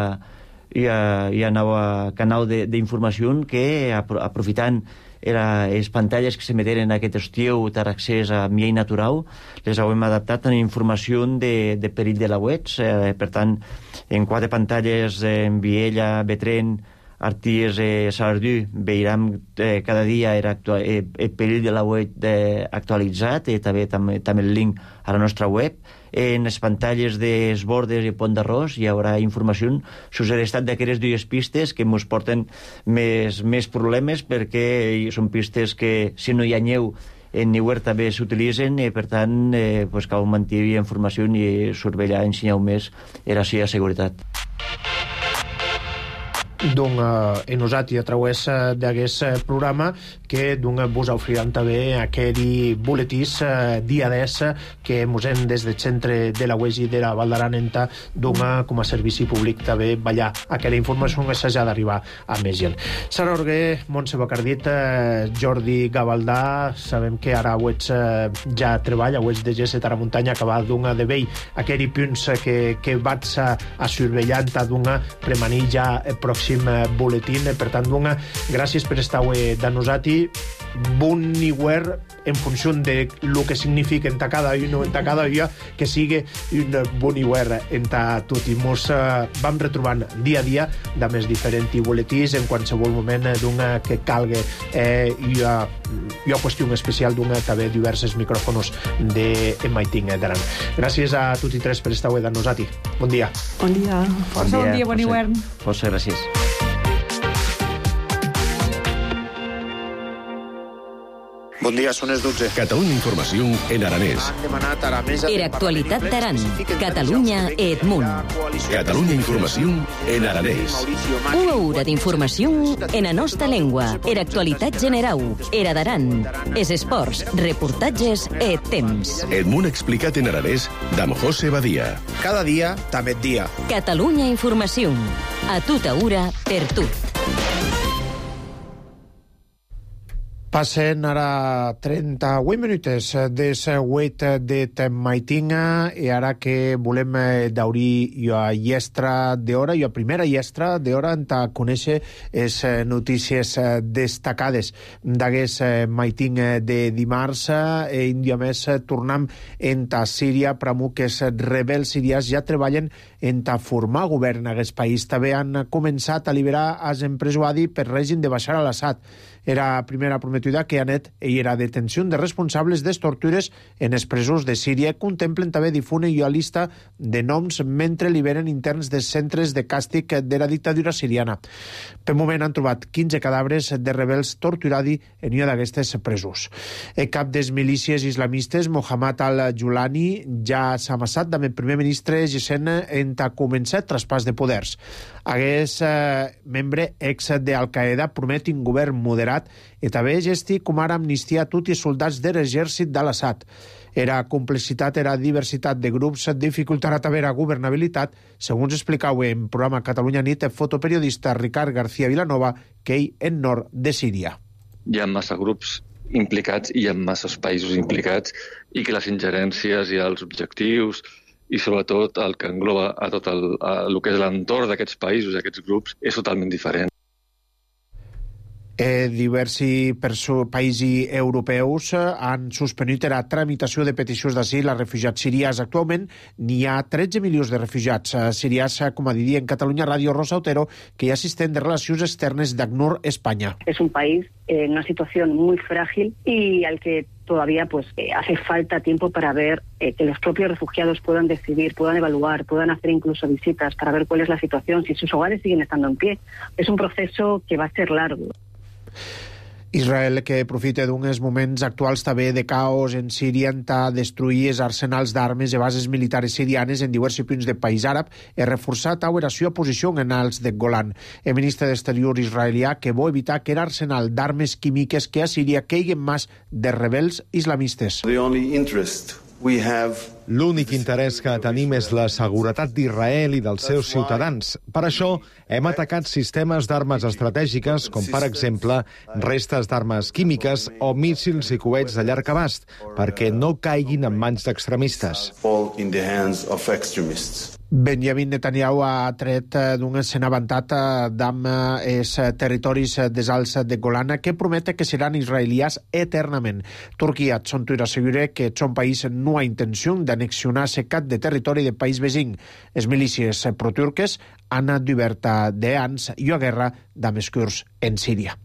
i a, i a nou canal d'informació que aprofitant era les pantalles que s'emeteren aquest estiu per accés a miei natural, les hem adaptat a informació de, de perill de lauets, eh, per tant en quatre pantalles en Viella, Betren, Arties, eh, Salardú, veiem eh, cada dia era actual, eh, el perill de la web eh, actualitzat, i eh, també, també, també el link a la nostra web. En les pantalles dels bordes i Pont d'Arròs hi haurà informació sobre l'estat d'aquestes dues pistes que ens porten més, més problemes, perquè són pistes que, si no hi ha neu, en Niuer també s'utilitzen, i per tant eh, pues, cal mantenir informació i surveillar, ensenyar més era així a seguretat. Donc, eh, e nosati a través d'aquest programa que donc, vos oferirem també aquell boletís eh, dia dès que mos hem des del centre de la U E S I de la Val d'Aran enta donc, com a servici públic també ballar aquella informació que s'ha d'arribar a més gent. Sara Orguer, Montse Bacardit, eh, Jordi Gavaldà, sabem que ara U E S eh, ja treballa, U E S de G S a la muntanya, que va donc, de vell aquells punts que, que vaig a, a surveillant donc, premanir ja el pròxim boletín. Per tant, donc, gràcies per estar avui de nosaltres. Bon Niuer en funció de lo que significa en cada uno, en cada dia, que sigui un bon Niuer en tot. I mos uh, vam retrobant dia a dia de més diferents boletins en qualsevol moment d'una que calga. Eh, hi, ha, hi ha qüestió especial d'una també diversos micròfons de Maiting d'Aran. Gràcies a tots i tres per estar avui de nosaltres. Bon dia. Bon dia. Força bon dia, bon Niuer. Força gràcies. Bon dia, són les dotze. Catalunya Informació en aranès. Era actualitat d'Aran. Catalunya et Munt. Catalunya Informació en aranès. Una hora d'informació en la nostra llengua. Era actualitat generau. Era d'Aran. Es esports, reportatges et temps. Et Munt explicat en aranès d'Am José Badia. Cada dia, també dia. Catalunya Informació. A tota hora, per tot. Passen ara trenta-vuit minutes des huit de Maitinga, i ara que volem daurir a llestra d'hora, i a primera llestra d'hora en ta conèixer les notícies destacades d'aquest Maiting de dimarts. I un dia més tornem en ta Síria, pramo que els rebels sirians ja treballen en ta formar govern en aquest país. També han començat a liberar els empresonats per règim de Bashar al-Assad. Era la primera prometuda que anet i era detenció de responsables de tortures en els presos de Síria. Contemplen també difunen una llista de noms mentre liberen interns de centres de càstig de la dictadura siriana. Per moment han trobat quinze cadàvers de rebels torturats en una d'aquestes presos. El cap des milícies islamistes, Mohammad al-Julani, ja s'ha amassat amb el primer ministre Gessent en ta començar el traspàs de poders. Aquest eh, membre ex d'Al-Qaeda promet un govern moderat i també gesti com ara amnistia a tots els soldats de l'exèrcit d'Al-Assad. Era complicitat, era diversitat de grups dificultarà també la governabilitat, segons explicau en programa Catalunya Nit el fotoperiodista Ricard García Vilanova, que ell en nord de Síria. Hi ha massa grups implicats i hi ha masses països implicats, i que les ingerències i els objectius i sobretot el que engloba a tot el, a el que és l'entorn d'aquests països, d'aquests grups, és totalment diferent. Eh, diversi països europeus han suspendut la tramitació de peticions d'asil a refugiats sirians. Actualment n'hi ha tretze milions de refugiats sirians, com a dir en Catalunya Ràdio Rosa Otero, que hi ha assistent de Relacions Externes d'ACNUR España. Es un país en una situación muy frágil y al que todavía pues eh, hace falta tiempo para ver eh, que los propios refugiados puedan decidir, puedan evaluar, puedan hacer incluso visitas para ver cuál es la situación, si sus hogares siguen estando en pie. Es un proceso que va a ser largo. Israel, que aprofita d'uns moments actuals també de caos en Síria, a destruir els arsenals d'armes i bases militares sirianes en diversos punts del país àrab i reforçat la seva posició en els de Golan. El ministre d'Exterior israelià que vol evitar que l'arsenal d'armes químiques que a Síria caigui en mans de rebels islamistes. L'únic interès que tenim és la seguretat d'Israel i dels seus ciutadans. Per això hem atacat sistemes d'armes estratègiques, com per exemple restes d'armes químiques o míssils i coets de llarg abast, perquè no caiguin en mans d'extremistes. Benjamin Netanyahu ha tret d'un escena avantat d'amb els territoris dels Alts de Golan que promete que seran israelians eternament. Turquia son tuir assegura que son país no ha intenció d'anexionar-se cap de territori del país vecí. Les milícies proturques han obert de anys i a guerra d'amb els kurds en Síria.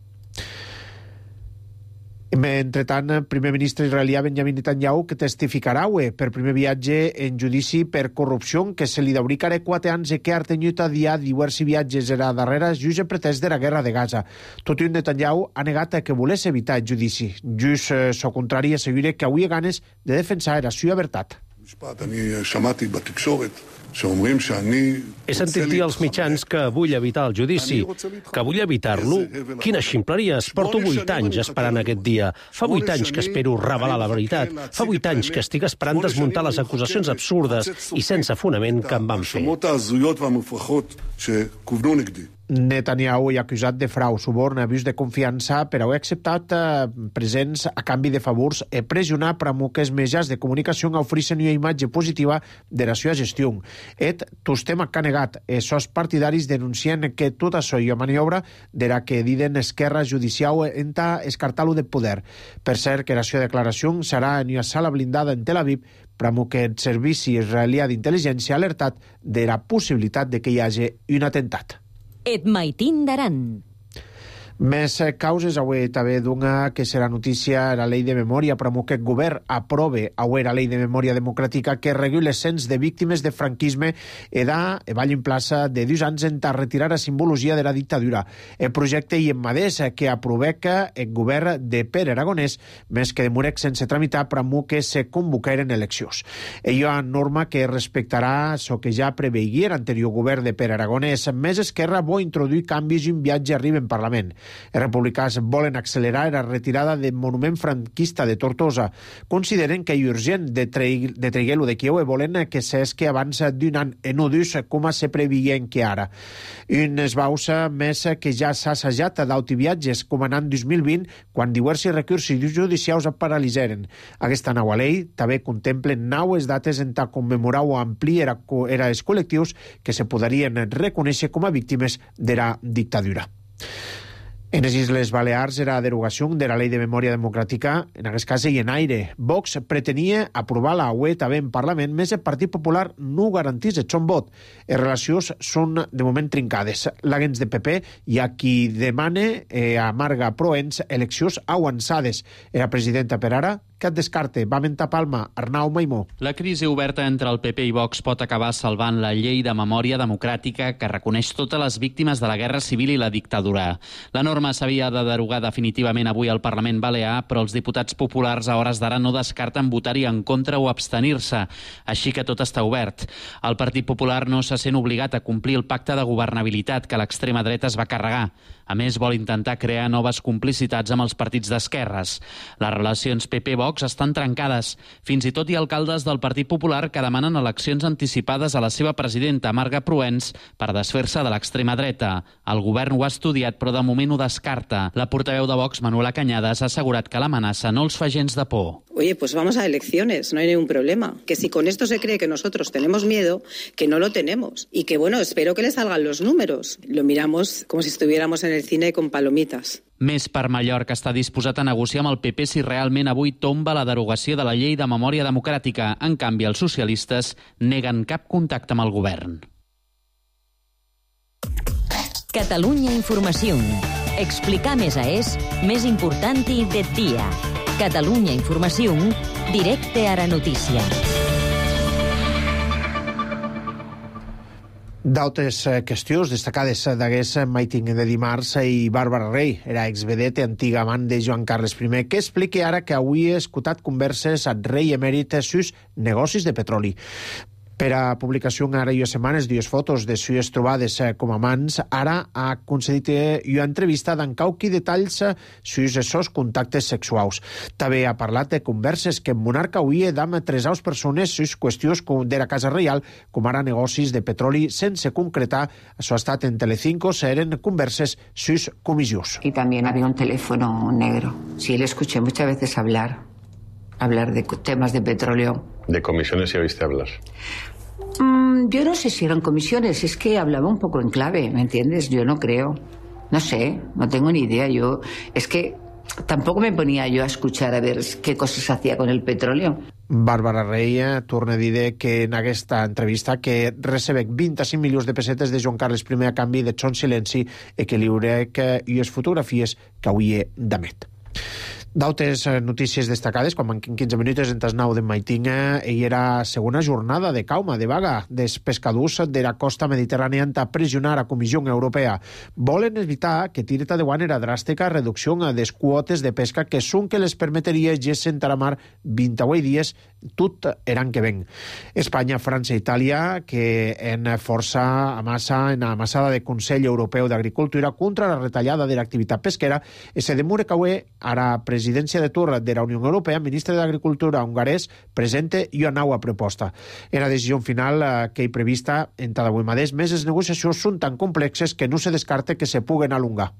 Entretant, el primer ministre israelià Benjamin Netanyahu que testificarà avui per primer viatge en judici per corrupció que se li dauricarà quatre anys i que ha tenyut a dia diversos viatges a darrere just en pretès de la guerra de Gaza. Tot i un Netanyahu ha negat que volés evitar el judici. Just eh, so contrari assegura que avui ha ganes de defensar la seva veritat. He sentit dir als mitjans que vull evitar el judici, que vull evitar-lo. Quines ximpleries! Porto vuit anys esperant aquest dia. Fa vuit anys que espero revelar la veritat. Fa vuit anys que estic esperant desmuntar les acusacions absurdes i sense fonament que em van fer. Netanyahu ha acusat de frau, suborn, abús de confiança per haver acceptat eh, presents a canvi de favors i pressionar per a que els mitjans de comunicació ofereixen una imatge positiva de la seva gestió. Et tos tema que ha negat. Els seus partidaris denuncien que tot això hi ha maniobra de la que diden esquerra judicial enta escartar-lo de poder. Per cert, que la seva declaració serà en una sala blindada en Tel Aviv per a que el servici israelià d'intel·ligència ha alertat de la possibilitat de que hi hagi un atemptat. Et maitin d'Aran. Més causes avui també d'una que serà notícia la llei de memòria, però que el govern aprove avui la llei de memòria democràtica que regula el cens de víctimes de franquisme i da vall en plaça de dos anys en retirar la simbologia de la dictadura. El projecte i en madés que aproveca el govern de Pere Aragonès, més que demorec sense tramitar per a que se convocaren eleccions. Hi ha norma que respectarà el que ja preveia l'anterior govern de Pere Aragonès, més Esquerra vol introduir canvis i un viatge arriba en Parlament. Els republicans volen accelerar la retirada del monument franquista de Tortosa. Consideren que és urgent de treguer-lo de Kiev i volen que s'esqui abans d'un any en udus com se preveien que ara. Un esbauça més que ja s'ha assajat d'autoviatges com en l'any dos mil vint, quan diversos recursos judicials es paralitzaren. Aquesta nova llei també contempla noves dates en tal commemorar o ampliar els col·lectius que se podrien reconèixer com a víctimes de la dictadura. En les Isles Balears era la derogació de la Llei de Memòria Democràtica, en aquest cas i en aire. Vox pretenia aprovar la U E també en Parlament, més el Partit Popular no garantís el son vot. Les relacions són de moment trincades. L'agents de P P hi ha qui demana eh, a Marga Proens eleccions avançades. Era presidenta per ara, que et descarte. Va mentar Palma, Arnau Maimó. La crisi oberta entre el P P i Vox pot acabar salvant la llei de memòria democràtica que reconeix totes les víctimes de la Guerra Civil i la dictadura. La norma s'havia de derogar definitivament avui al Parlament Balear, però els diputats populars a hores d'ara no descarten votar-hi en contra o abstenir-se, així que tot està obert. El Partit Popular no se sent obligat a complir el pacte de governabilitat que l'extrema dreta es va carregar. A més, vol intentar crear noves complicitats amb els partits d'esquerres. Les relacions P P-Vox estan trencades. Fins i tot hi ha alcaldes del Partit Popular que demanen eleccions anticipades a la seva presidenta, Marga Proens, per desfer-se de l'extrema dreta. El govern ho ha estudiat, però de moment ho descarta. La portaveu de Vox, Manuela Cañadas, ha assegurat que l'amenaça no els fa gens de por. Oye, pues vamos a elecciones, no hay ningún problema. Que si con esto se cree que nosotros tenemos miedo, que no lo tenemos. Y que, bueno, espero que le salgan los números. Lo miramos como si estuviéramos en el cine con palomitas. Més per Mallorca està disposat a negociar amb el P P si realment avui tomba la derogació de la llei de memòria democràtica. En canvi, els socialistes neguen cap contacte amb el govern. Catalunya Informació. Explicar més a és més important de dia. Catalunya Informació, directe a la notícia. D'altres qüestions destacades d'aquest meeting de dimarts i Bàrbara Rey, era exvedeta antiga amant de Joan Carles I, que explica ara que avui ha escoltat converses amb rei emèrit sus negocis de petroli. Per a publicació en Ara i Setmanes, dues fotos de sues trobades com a amants, ara ha concedit una entrevista d'en cauqui detalls sus sos contactes sexuals. També ha parlat de converses que en Monarca avui d'amb tres aus persones sus qüestions de la Casa Reial, com ara negocis de petroli sense concretar. Això ha estat en Telecinco, eren converses sus comissions. Y también había un teléfono negro. Sí, le escuché muchas veces hablar, hablar de temas de petróleo. ¿De comisiones ya viste hablar? Mm, yo no sé si eran comisiones, es que hablaba un poco en clave, ¿me entiendes? Yo no creo. No sé, no tengo ni idea. Yo, es que tampoco me ponía yo a escuchar a ver qué cosas hacía con el petróleo. Bàrbara Rey torna a dir que en aquesta entrevista que recebec vint-i-cinc milions de pessetes de Joan Carles I a canvi de son silenci i que li hauré que i les fotografies que avui d'emet. D'altres notícies destacades, quan manquen quinze minuts en tas nou de Maitinga, hi era segona jornada de cauma, de vaga, dels pescadors de la costa mediterrània a pressionar a Comissió Europea. Volen evitar que tireta de guanera dràstica reducció de les quotes de pesca que són que les permetria gessen a la mar vint-i-vuit dies tot l'any que ven. Espanya, França i Itàlia, que en força amassa, en amassada de Consell Europeu d'Agricultura contra la retallada de l'activitat pesquera, i se demora que avui, ara presidència de torn de la Unió Europea, el ministre d'Agricultura hongarès presente una nova proposta. En la decisió final eh, que hi prevista en cada avui mateix, més les negociacions són tan complexes que no se descarta que se puguen alongar.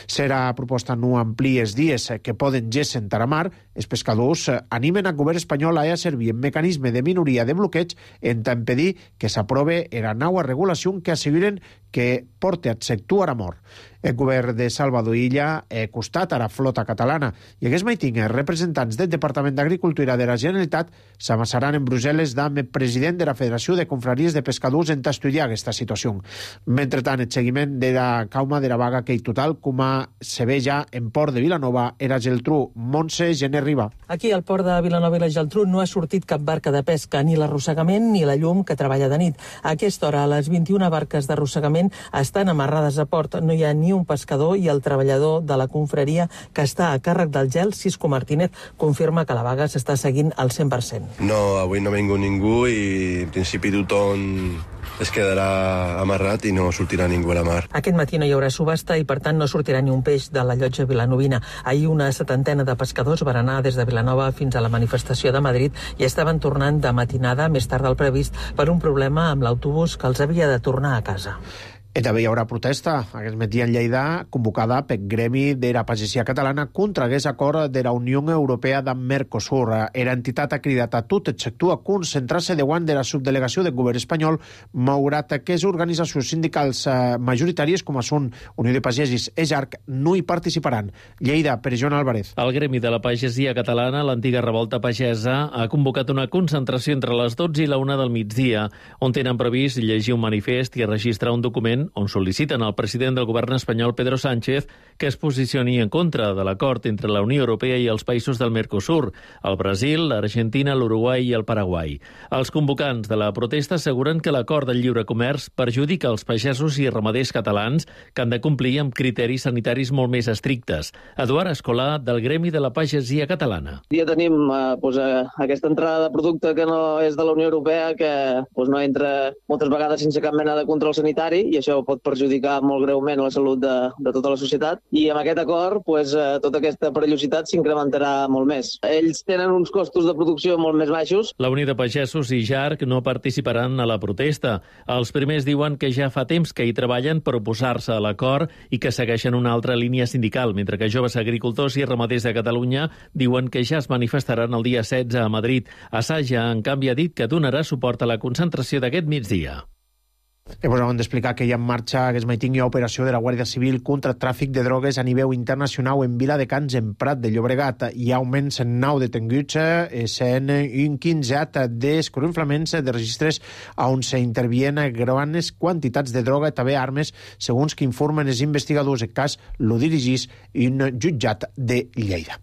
Serà proposta no ampli els dies que poden gessen a la mar. Els pescadors animen al govern espanyol a servir en mecanisme de minoria de bloqueig en impedir que s'aprove la nova regulació que asseguren que porta a sector a mort. El govern de Salvador Illa ha costat a la flota catalana i aquest meeting els representants del Departament d'Agricultura de la Generalitat s'amassaran en Brussel·les amb el president de la Federació de Confraries de Pescadors en estudiar aquesta situació. Mentrestant, el seguiment de la cauma de la vaga que hi total, com a se ve ja en Port de Vilanova, era Geltrú. Montse Gené Riba. Aquí al Port de Vilanova i la Geltrú no ha sortit cap barca de pesca, ni l'arrossegament ni la llum que treballa de nit. A aquesta hora, les vint-i-una barques d'arrossegament estan amarrades a port. No hi ha ni un pescador i el treballador de la confraria que està a càrrec del gel, Cisco Martínez, confirma que la vaga s'està seguint al cent per cent. No, avui no ha vingut ningú i en principi tothom es quedarà amarrat i no sortirà ningú a la mar. Aquest matí no hi haurà subhasta i per tant no sortirà ni un peix de la llotja vilanovina. Ahir una setantena de pescadors van anar des de Vilanova fins a la manifestació de Madrid i estaven tornant de matinada més tard del previst per un problema amb l'autobús que els havia de tornar a casa. I també hi haurà protesta aquest matí en Lleida convocada pel Gremi de la Pagesia Catalana contra aquest acord de la Unió Europea d'en Mercosur. Era entitat ha cridat a tot el sector a concentrar-se davant de la subdelegació del govern espanyol, malgrat que les organitzacions sindicals majoritàries com són Unió de Pagesis i J A R C no hi participaran. Lleida, per Joan Álvarez. El Gremi de la Pagesia Catalana, l'antiga revolta pagesa, ha convocat una concentració entre les dotze i la una del migdia, on tenen previst llegir un manifest i registrar un document on sol·liciten al president del govern espanyol, Pedro Sánchez, que es posicioni en contra de l'acord entre la Unió Europea i els països del Mercosur, el Brasil, l'Argentina, l'Uruguai i el Paraguai. Els convocants de la protesta asseguren que l'acord del lliure comerç perjudica els pagesos i ramaders catalans que han de complir amb criteris sanitaris molt més estrictes. Eduard Escolà, del Gremi de la Pagesia Catalana. Ja tenim eh, pues, eh, aquesta entrada de producte que no és de la Unió Europea, que pues, no entra moltes vegades sense cap mena de control sanitari, i això pot perjudicar molt greument la salut de, de tota la societat. I amb aquest acord, pues, eh, tota aquesta perillositat s'incrementarà molt més. Ells tenen uns costos de producció molt més baixos. La Unió de Pagesos i J A R C no participaran a la protesta. Els primers diuen que ja fa temps que hi treballen per oposar-se a l'acord i que segueixen una altra línia sindical, mentre que joves agricultors i ramaders de Catalunya diuen que ja es manifestaran el dia setze a Madrid. Assaja, en canvi, ha dit que donarà suport a la concentració d'aquest migdia. I vos hem d'explicar que hi ha en marxa aquest matí hi ha operació de la Guàrdia Civil contra tràfic de drogues a nivell internacional en Viladecans, en Prat de Llobregat. Hi ha augments en nou detenguts, sent un quinzet d'escorrenflaments de registres on s'intervien grans quantitats de droga i també armes, segons que informen els investigadors. El cas lo dirigís un jutjat de Lleida.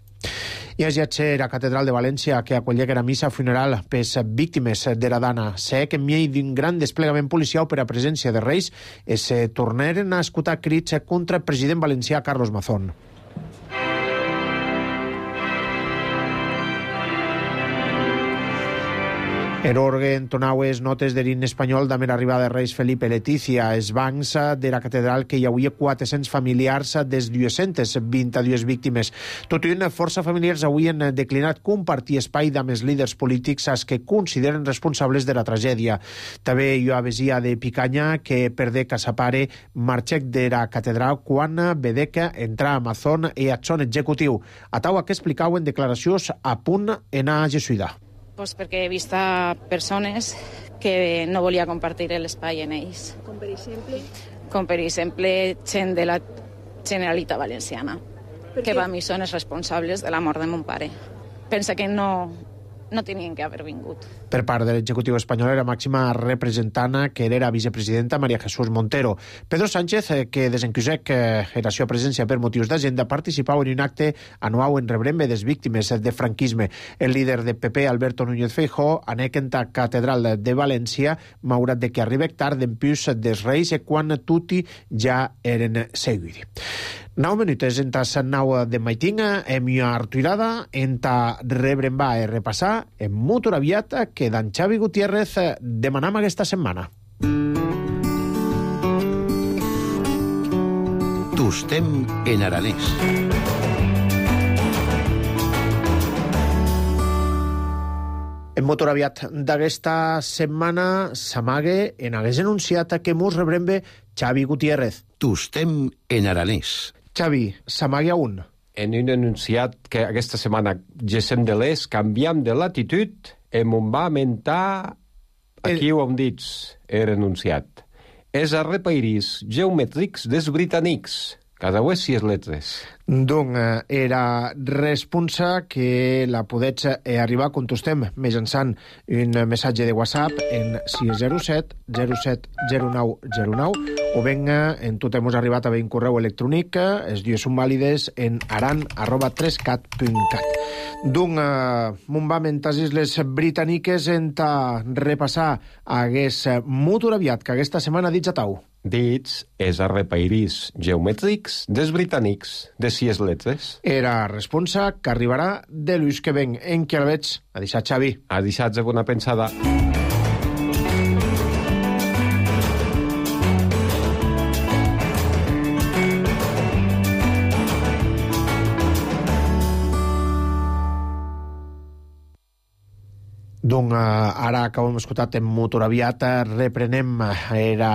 I es lletge la Catedral de València, que acollega la missa funeral pels víctimes de la Dana. Sé que en mi d'un gran desplegament policial per a presència de Reis es tornaren a escoltar crits contra el president valencià Carlos Mazón. En orgue entonaues notes de l'himne espanyol damb l'arribada de Reis Felipe i Letícia. Els bancs de la catedral que hi havia quatre-cents familiars des dues-centes vint-i-dues víctimes. Tot i una força familiars havien declinat compartir espai amb els líders polítics als que consideren responsables de la tragèdia. També hi ha vesia de Picanya que perdé que sa pare marxec de la catedral quan vedeca entrar a Mazón i a son executiu. A taua que explicau en declaracions a punt en a jesuïdar. Pues perquè he vist a persones que no volia compartir l'espai en ells. Com per exemple? Com per exemple gent de la Generalitat Valenciana, que per mi són els responsables de la mort de mon pare. Pensa que no, no tenien que haver vingut. Per part de l'executiu espanyol, la màxima representant, que era vicepresidenta, María Jesús Montero. Pedro Sánchez, que desencusec la seva presència per motius d'agenda, participava en un acte anual en rebrembe des víctimes de franquisme. El líder de P P, Alberto Núñez Feijóo, anec en la Catedral de València, malgrat de que arribek tard en pius dels Reis quan tutti ja eren seguidi. Nou minutes en ta nau de maitinga, hem ja artuirada, en ta rebrembar i repassar, en motor aviat que d'en Xavi Gutiérrez demanam aquesta setmana. Tostem en aranès. En motor aviat d'aquesta setmana s'amague en hagués anunciat que mos rebrembe Xavi Gutiérrez. Tostem en aranès. Xavi, s'amague a un. En un anunciat que aquesta setmana gessem de l'est, canviam de latitud, em on va mentar, aquí el... ho hem dit, era anunciat. És a repairis geomètrics des britànics, cada vegada sis letres. Donc, era responsa que la podets arribar a contestem mitjançant un missatge de WhatsApp en sis zero set zero set zero nou zero nou o venga, en tot hem arribat a un correu electrònic, els dies són vàlides en aran arroba tres cat punt cat. Donc, mon va mentar les britàniques en ta repassar hagués molt aviat que aquesta setmana dits a tau. Dits és a repairis geomètrics des britànics, de sis letres. Era responsa que arribarà de l'ús que ven en què el veig. A deixar, Xavi. A deixar de bona pensada. Donc, ara que ho hem escoltat en motor aviat, reprenem era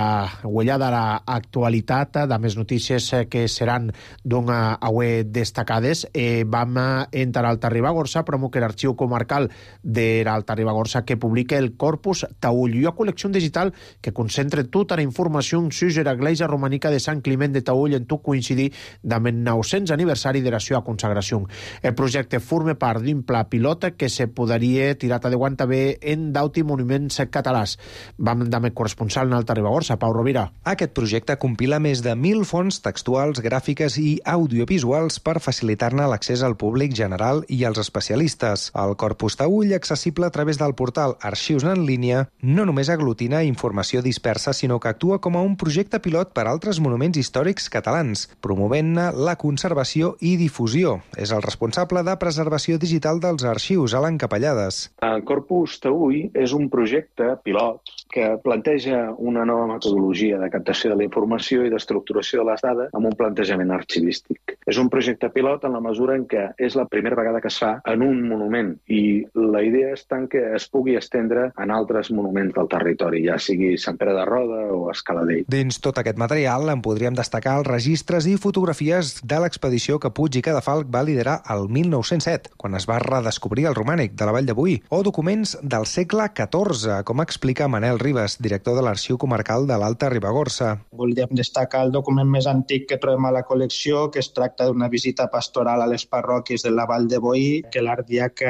huellada l'actualitat de més notícies que seran donc, avui destacades. Eh, vam entrar al Ribagorça, promo que l'arxiu comarcal de l'Alta Ribagorça que publica el Corpus Taüll, una col·lecció digital que concentra tota la informació sobre l'església romànica de Sant Climent de Taüll en tot coincidir amb el nou-cents aniversari de la seva consagració. El projecte forma part d'un pla pilot que se podria tirar de guant també en d'auti monuments catalans. Vam amb el corresponsal en Alta Ribagorça, Pau Rovira. Aquest projecte compila més de mil fonts textuals, gràfiques i audiovisuals per facilitar-ne l'accés al públic general i als especialistes. El Corpus Taüll, accessible a través del portal Arxius en línia, no només aglutina informació dispersa, sinó que actua com a un projecte pilot per a altres monuments històrics catalans, promovent-ne la conservació i difusió. És el responsable de preservació digital dels arxius, Alan Capellades. El Corpus Taüll és un projecte pilot que planteja una nova metodologia de captació de la informació i d'estructuració de les dades amb un plantejament arxivístic. És un projecte pilot en la mesura en què és la primera vegada que es fa en un monument i la idea és tant que es pugui estendre en altres monuments del territori, ja sigui Sant Pere de Roda o Escaladell. Dins tot aquest material en podríem destacar els registres i fotografies de l'expedició que Puig i Cadafalch va liderar el mil nou-cents set, quan es va redescobrir el romànic de la Vall de Boí, o documents del segle catorze, com explica Manel Ribas, director de l'Arxiu Comarcal de l'Alta Ribagorça. Voldríem destacar el document més antic que trobem a la col·lecció, que es tracta d'una visita pastoral a les parròquies de la Vall de Boí, que l'ardiac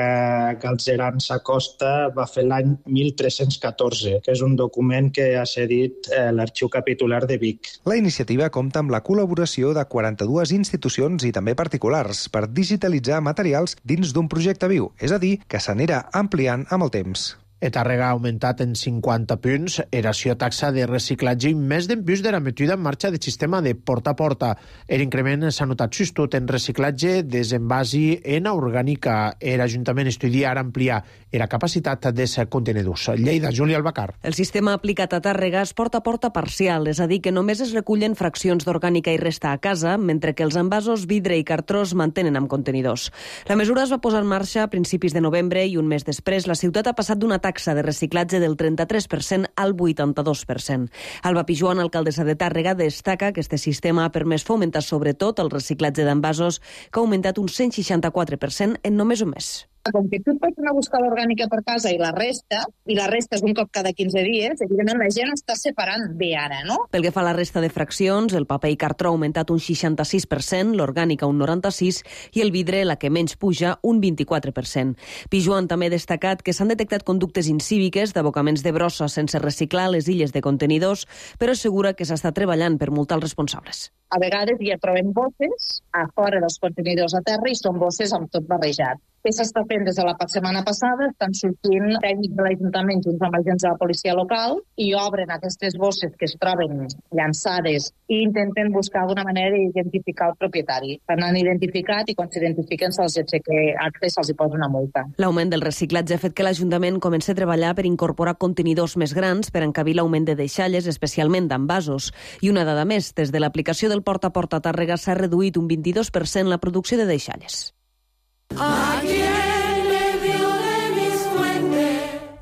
Galzeran Sacosta va fer l'any mil tres-cents catorze, que és un document que ha cedit eh, l'Arxiu Capitular de Vic. La iniciativa compta amb la col·laboració de quaranta-dues institucions i també particulars per digitalitzar materials dins d'un projecte viu, és a dir, que s'anirà ampliant amb el temps. E Tàrrega ha augmentat en cinquanta punts eració taxa de reciclatge i més d'en plus de la metida en marxa del sistema de porta a porta. L'increment s'ha notat justut en reciclatge desenvasi en orgànica. L'Ajuntament estudia ara ampliar la capacitat de ser contenidors. Lleida, Júlia Albacar. El sistema aplicat a Tàrrega és porta a porta parcial, és a dir, que només es recullen fraccions d'orgànica i resta a casa, mentre que els envasos, vidre i cartró es mantenen amb contenidors. La mesura es va posar en marxa a principis de novembre i un mes després la ciutat ha passat d'una taxa de reciclatge del trenta-tres per cent al vuitanta-dos per cent. Alba Pijuan, alcaldessa de Tàrrega, destaca que este sistema ha permès fomentar sobretot el reciclatge d'envasos, que ha augmentat un cent seixanta-quatre per cent en només un mes. Com que tu et pots anar a buscar l'orgànica per casa i la resta, i la resta és un cop cada quinze dies, evidentment la gent està separant bé ara, no? Pel que fa a la resta de fraccions, el paper i cartró ha augmentat un seixanta-sis per cent, l'orgànica un noranta-sis per cent i el vidre, la que menys puja, un vint-i-quatre per cent. Pijuan també ha destacat que s'han detectat conductes incíviques d'abocaments de brossa sense reciclar a les illes de contenidors, però assegura que s'està treballant per multar els responsables. A vegades ja trobem bosses a fora dels contenidors a terra i són bosses amb tot barrejat. Què s'està fent des de la setmana passada? Estan sortint tècnics de l'Ajuntament junts amb agents de la policia local i obren aquestes bosses que es troben llançades i intenten buscar alguna manera d'identificar el propietari. Per n'han identificat i quan s'identifiquen se'ls aixeca acte i se'ls hi posa una multa. L'augment del reciclatge ha fet que l'Ajuntament comenci a treballar per incorporar contenidors més grans per encabir l'augment de deixalles, especialment d'envasos. I una dada més, des de l'aplicació del porta a porta a Tàrrega s'ha reduït un vint-i-dos per cent la producció de deixalles.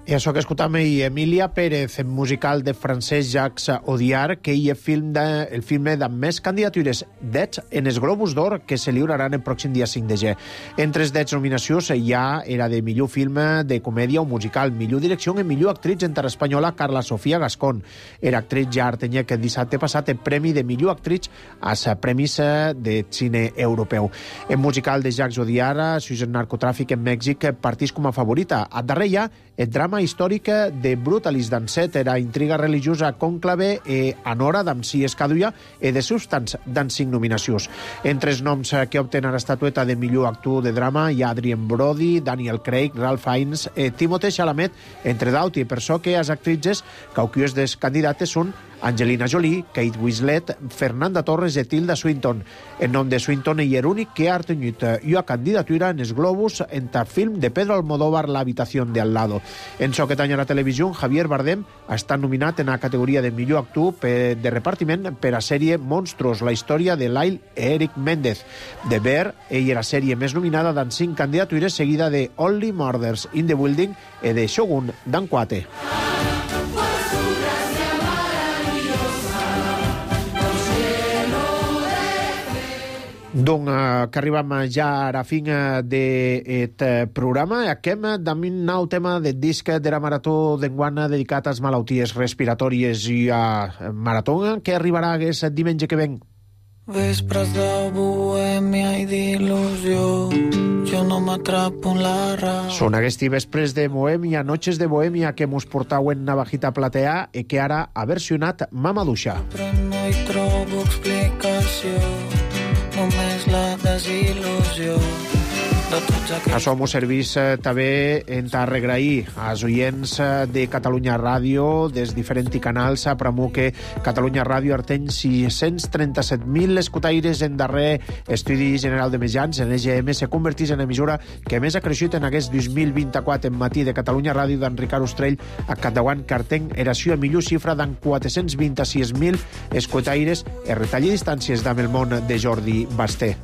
I això que escoltam i Emilia Pérez, en musical de Francesc Jacques Audiard, que hi ha film de, el film amb més candidatures d'ets en els Globus d'Or que se lliuraran el pròxim dia cinc de gener. Entre els d'ets nominacions hi ha era de millor film de comèdia o musical, millor direcció i millor actriz interespanyola Carla Sofia Gascón. Era actriz ja tenia que dissabte passat el premi de millor actriz als premis de cine europeu. En musical de Jacques Audiard, Sus el narcotràfic en Mèxic partís com a favorita. A darrere hi ha el drama històrica de Brutalis d'Ancet, era intriga religiosa cònclave e Anora d'Amsi Escadulla e de substants d'en cinc nominacions. Entre els noms que obtenen l'estatueta de millor actor de drama hi ha Adrien Brody, Daniel Craig, Ralph Fiennes e Timothée Chalamet, entre d'autres, i per això que les actrices cauquies dels candidates són Angelina Jolie, Kate Winslet, Fernanda Torres i Tilda Swinton. El nom de Swinton és l'únic que ha obtingut una candidatura en els Globus en el film de Pedro Almodóvar, La habitación de al lado. En so que tanya la televisió, Javier Bardem està nominat en la categoria de millor actor de repartiment per a sèrie Monstruos, la història de Lyle Eric Méndez. De Bear, ell era la sèrie més nominada d'en cinc candidatures, seguida de Only Murders in the Building i de Shogun d'en Quate. Donc, que arribem ja a la fin d'aquest programa. Acabem amb un nou tema del disc de la Marató d'enguany dedicat a les malalties respiratòries i a Marató, que arribarà aquest diumenge que ven. Vespres de bohèmia i d'il·lusió, jo no m'atrapo en la raó. Són aquests vespres de bohèmia, noches de bohèmia que mos portau en Navajita Platea i que ara ha versionat Mamaduixa. Però no hi trobo explicació, només la desil·lusió de tots aquests... Això m'ho servís eh, també en t'arregrair als oients de Catalunya Ràdio, des diferents canals, a premú que Catalunya Ràdio arteny sis-cents trenta-set mil escutaires en darrer estudi general de mitjans. En E G M se convertís en emissora que més ha creixut en aquest dos mil vint-i-quatre en matí de Catalunya Ràdio d'en Ricard Ostrell a Catauant, que arteny era la millor xifra d'en quatre-cents vint-i-sis mil escutaires en retall i distàncies d'amb el món de Jordi Basté.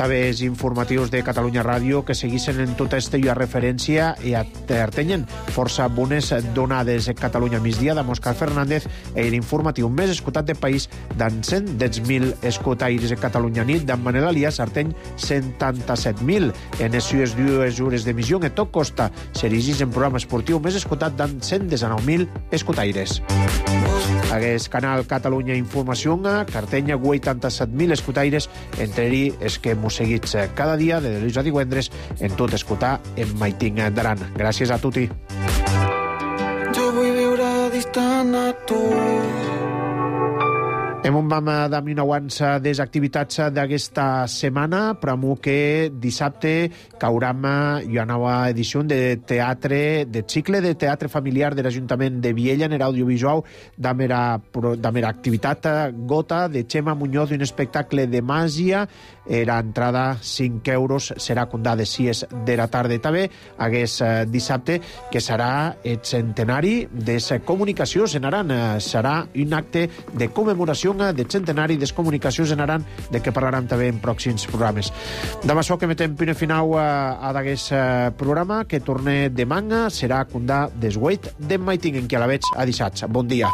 també els informatius de Catalunya Ràdio que seguissin en tota esta referència i atenyen força bones donades. Catalunya migdia de Òscar Fernández i l'informatiu més escoltat del país d'en cent deu mil escotaires. de Catalunya nit d'en Manel Alias Arteny setanta-set mil. En les sues dues hores d'emissió en tot costa s'erigís en programa esportiu més escoltat d'en cent dinou mil escotaires. Aguest canal Catalunya Informació que artenya vuitanta-set mil escotaires entre els que mos seguits cada dia de dilluns a divendres en tot escoltar en Maiting d'Aran. Gràcies a tutti. Jo vull viure distant a tu. Hem un vam d'ami nauans des activitats d'aquesta setmana, però que dissabte cauram una nova edició de teatre, de cicle de teatre familiar de l'Ajuntament de Viella en l'audiovisual d'amera activitat Gota de Xema Muñoz, un espectacle de màgia. La entrada cinc euros serà condada de sis de la tarda. També hagués dissabte que serà el centenari de la comunicació en Aran. Serà un acte de commemoració del centenari de les comunicacions en Aran, de què parlarem també en pròxims programes. Demà això que metem punt final a d'aquest programa, que torne demà serà condà des vuit de Maiting, en què a la veig a dissabte. Bon dia.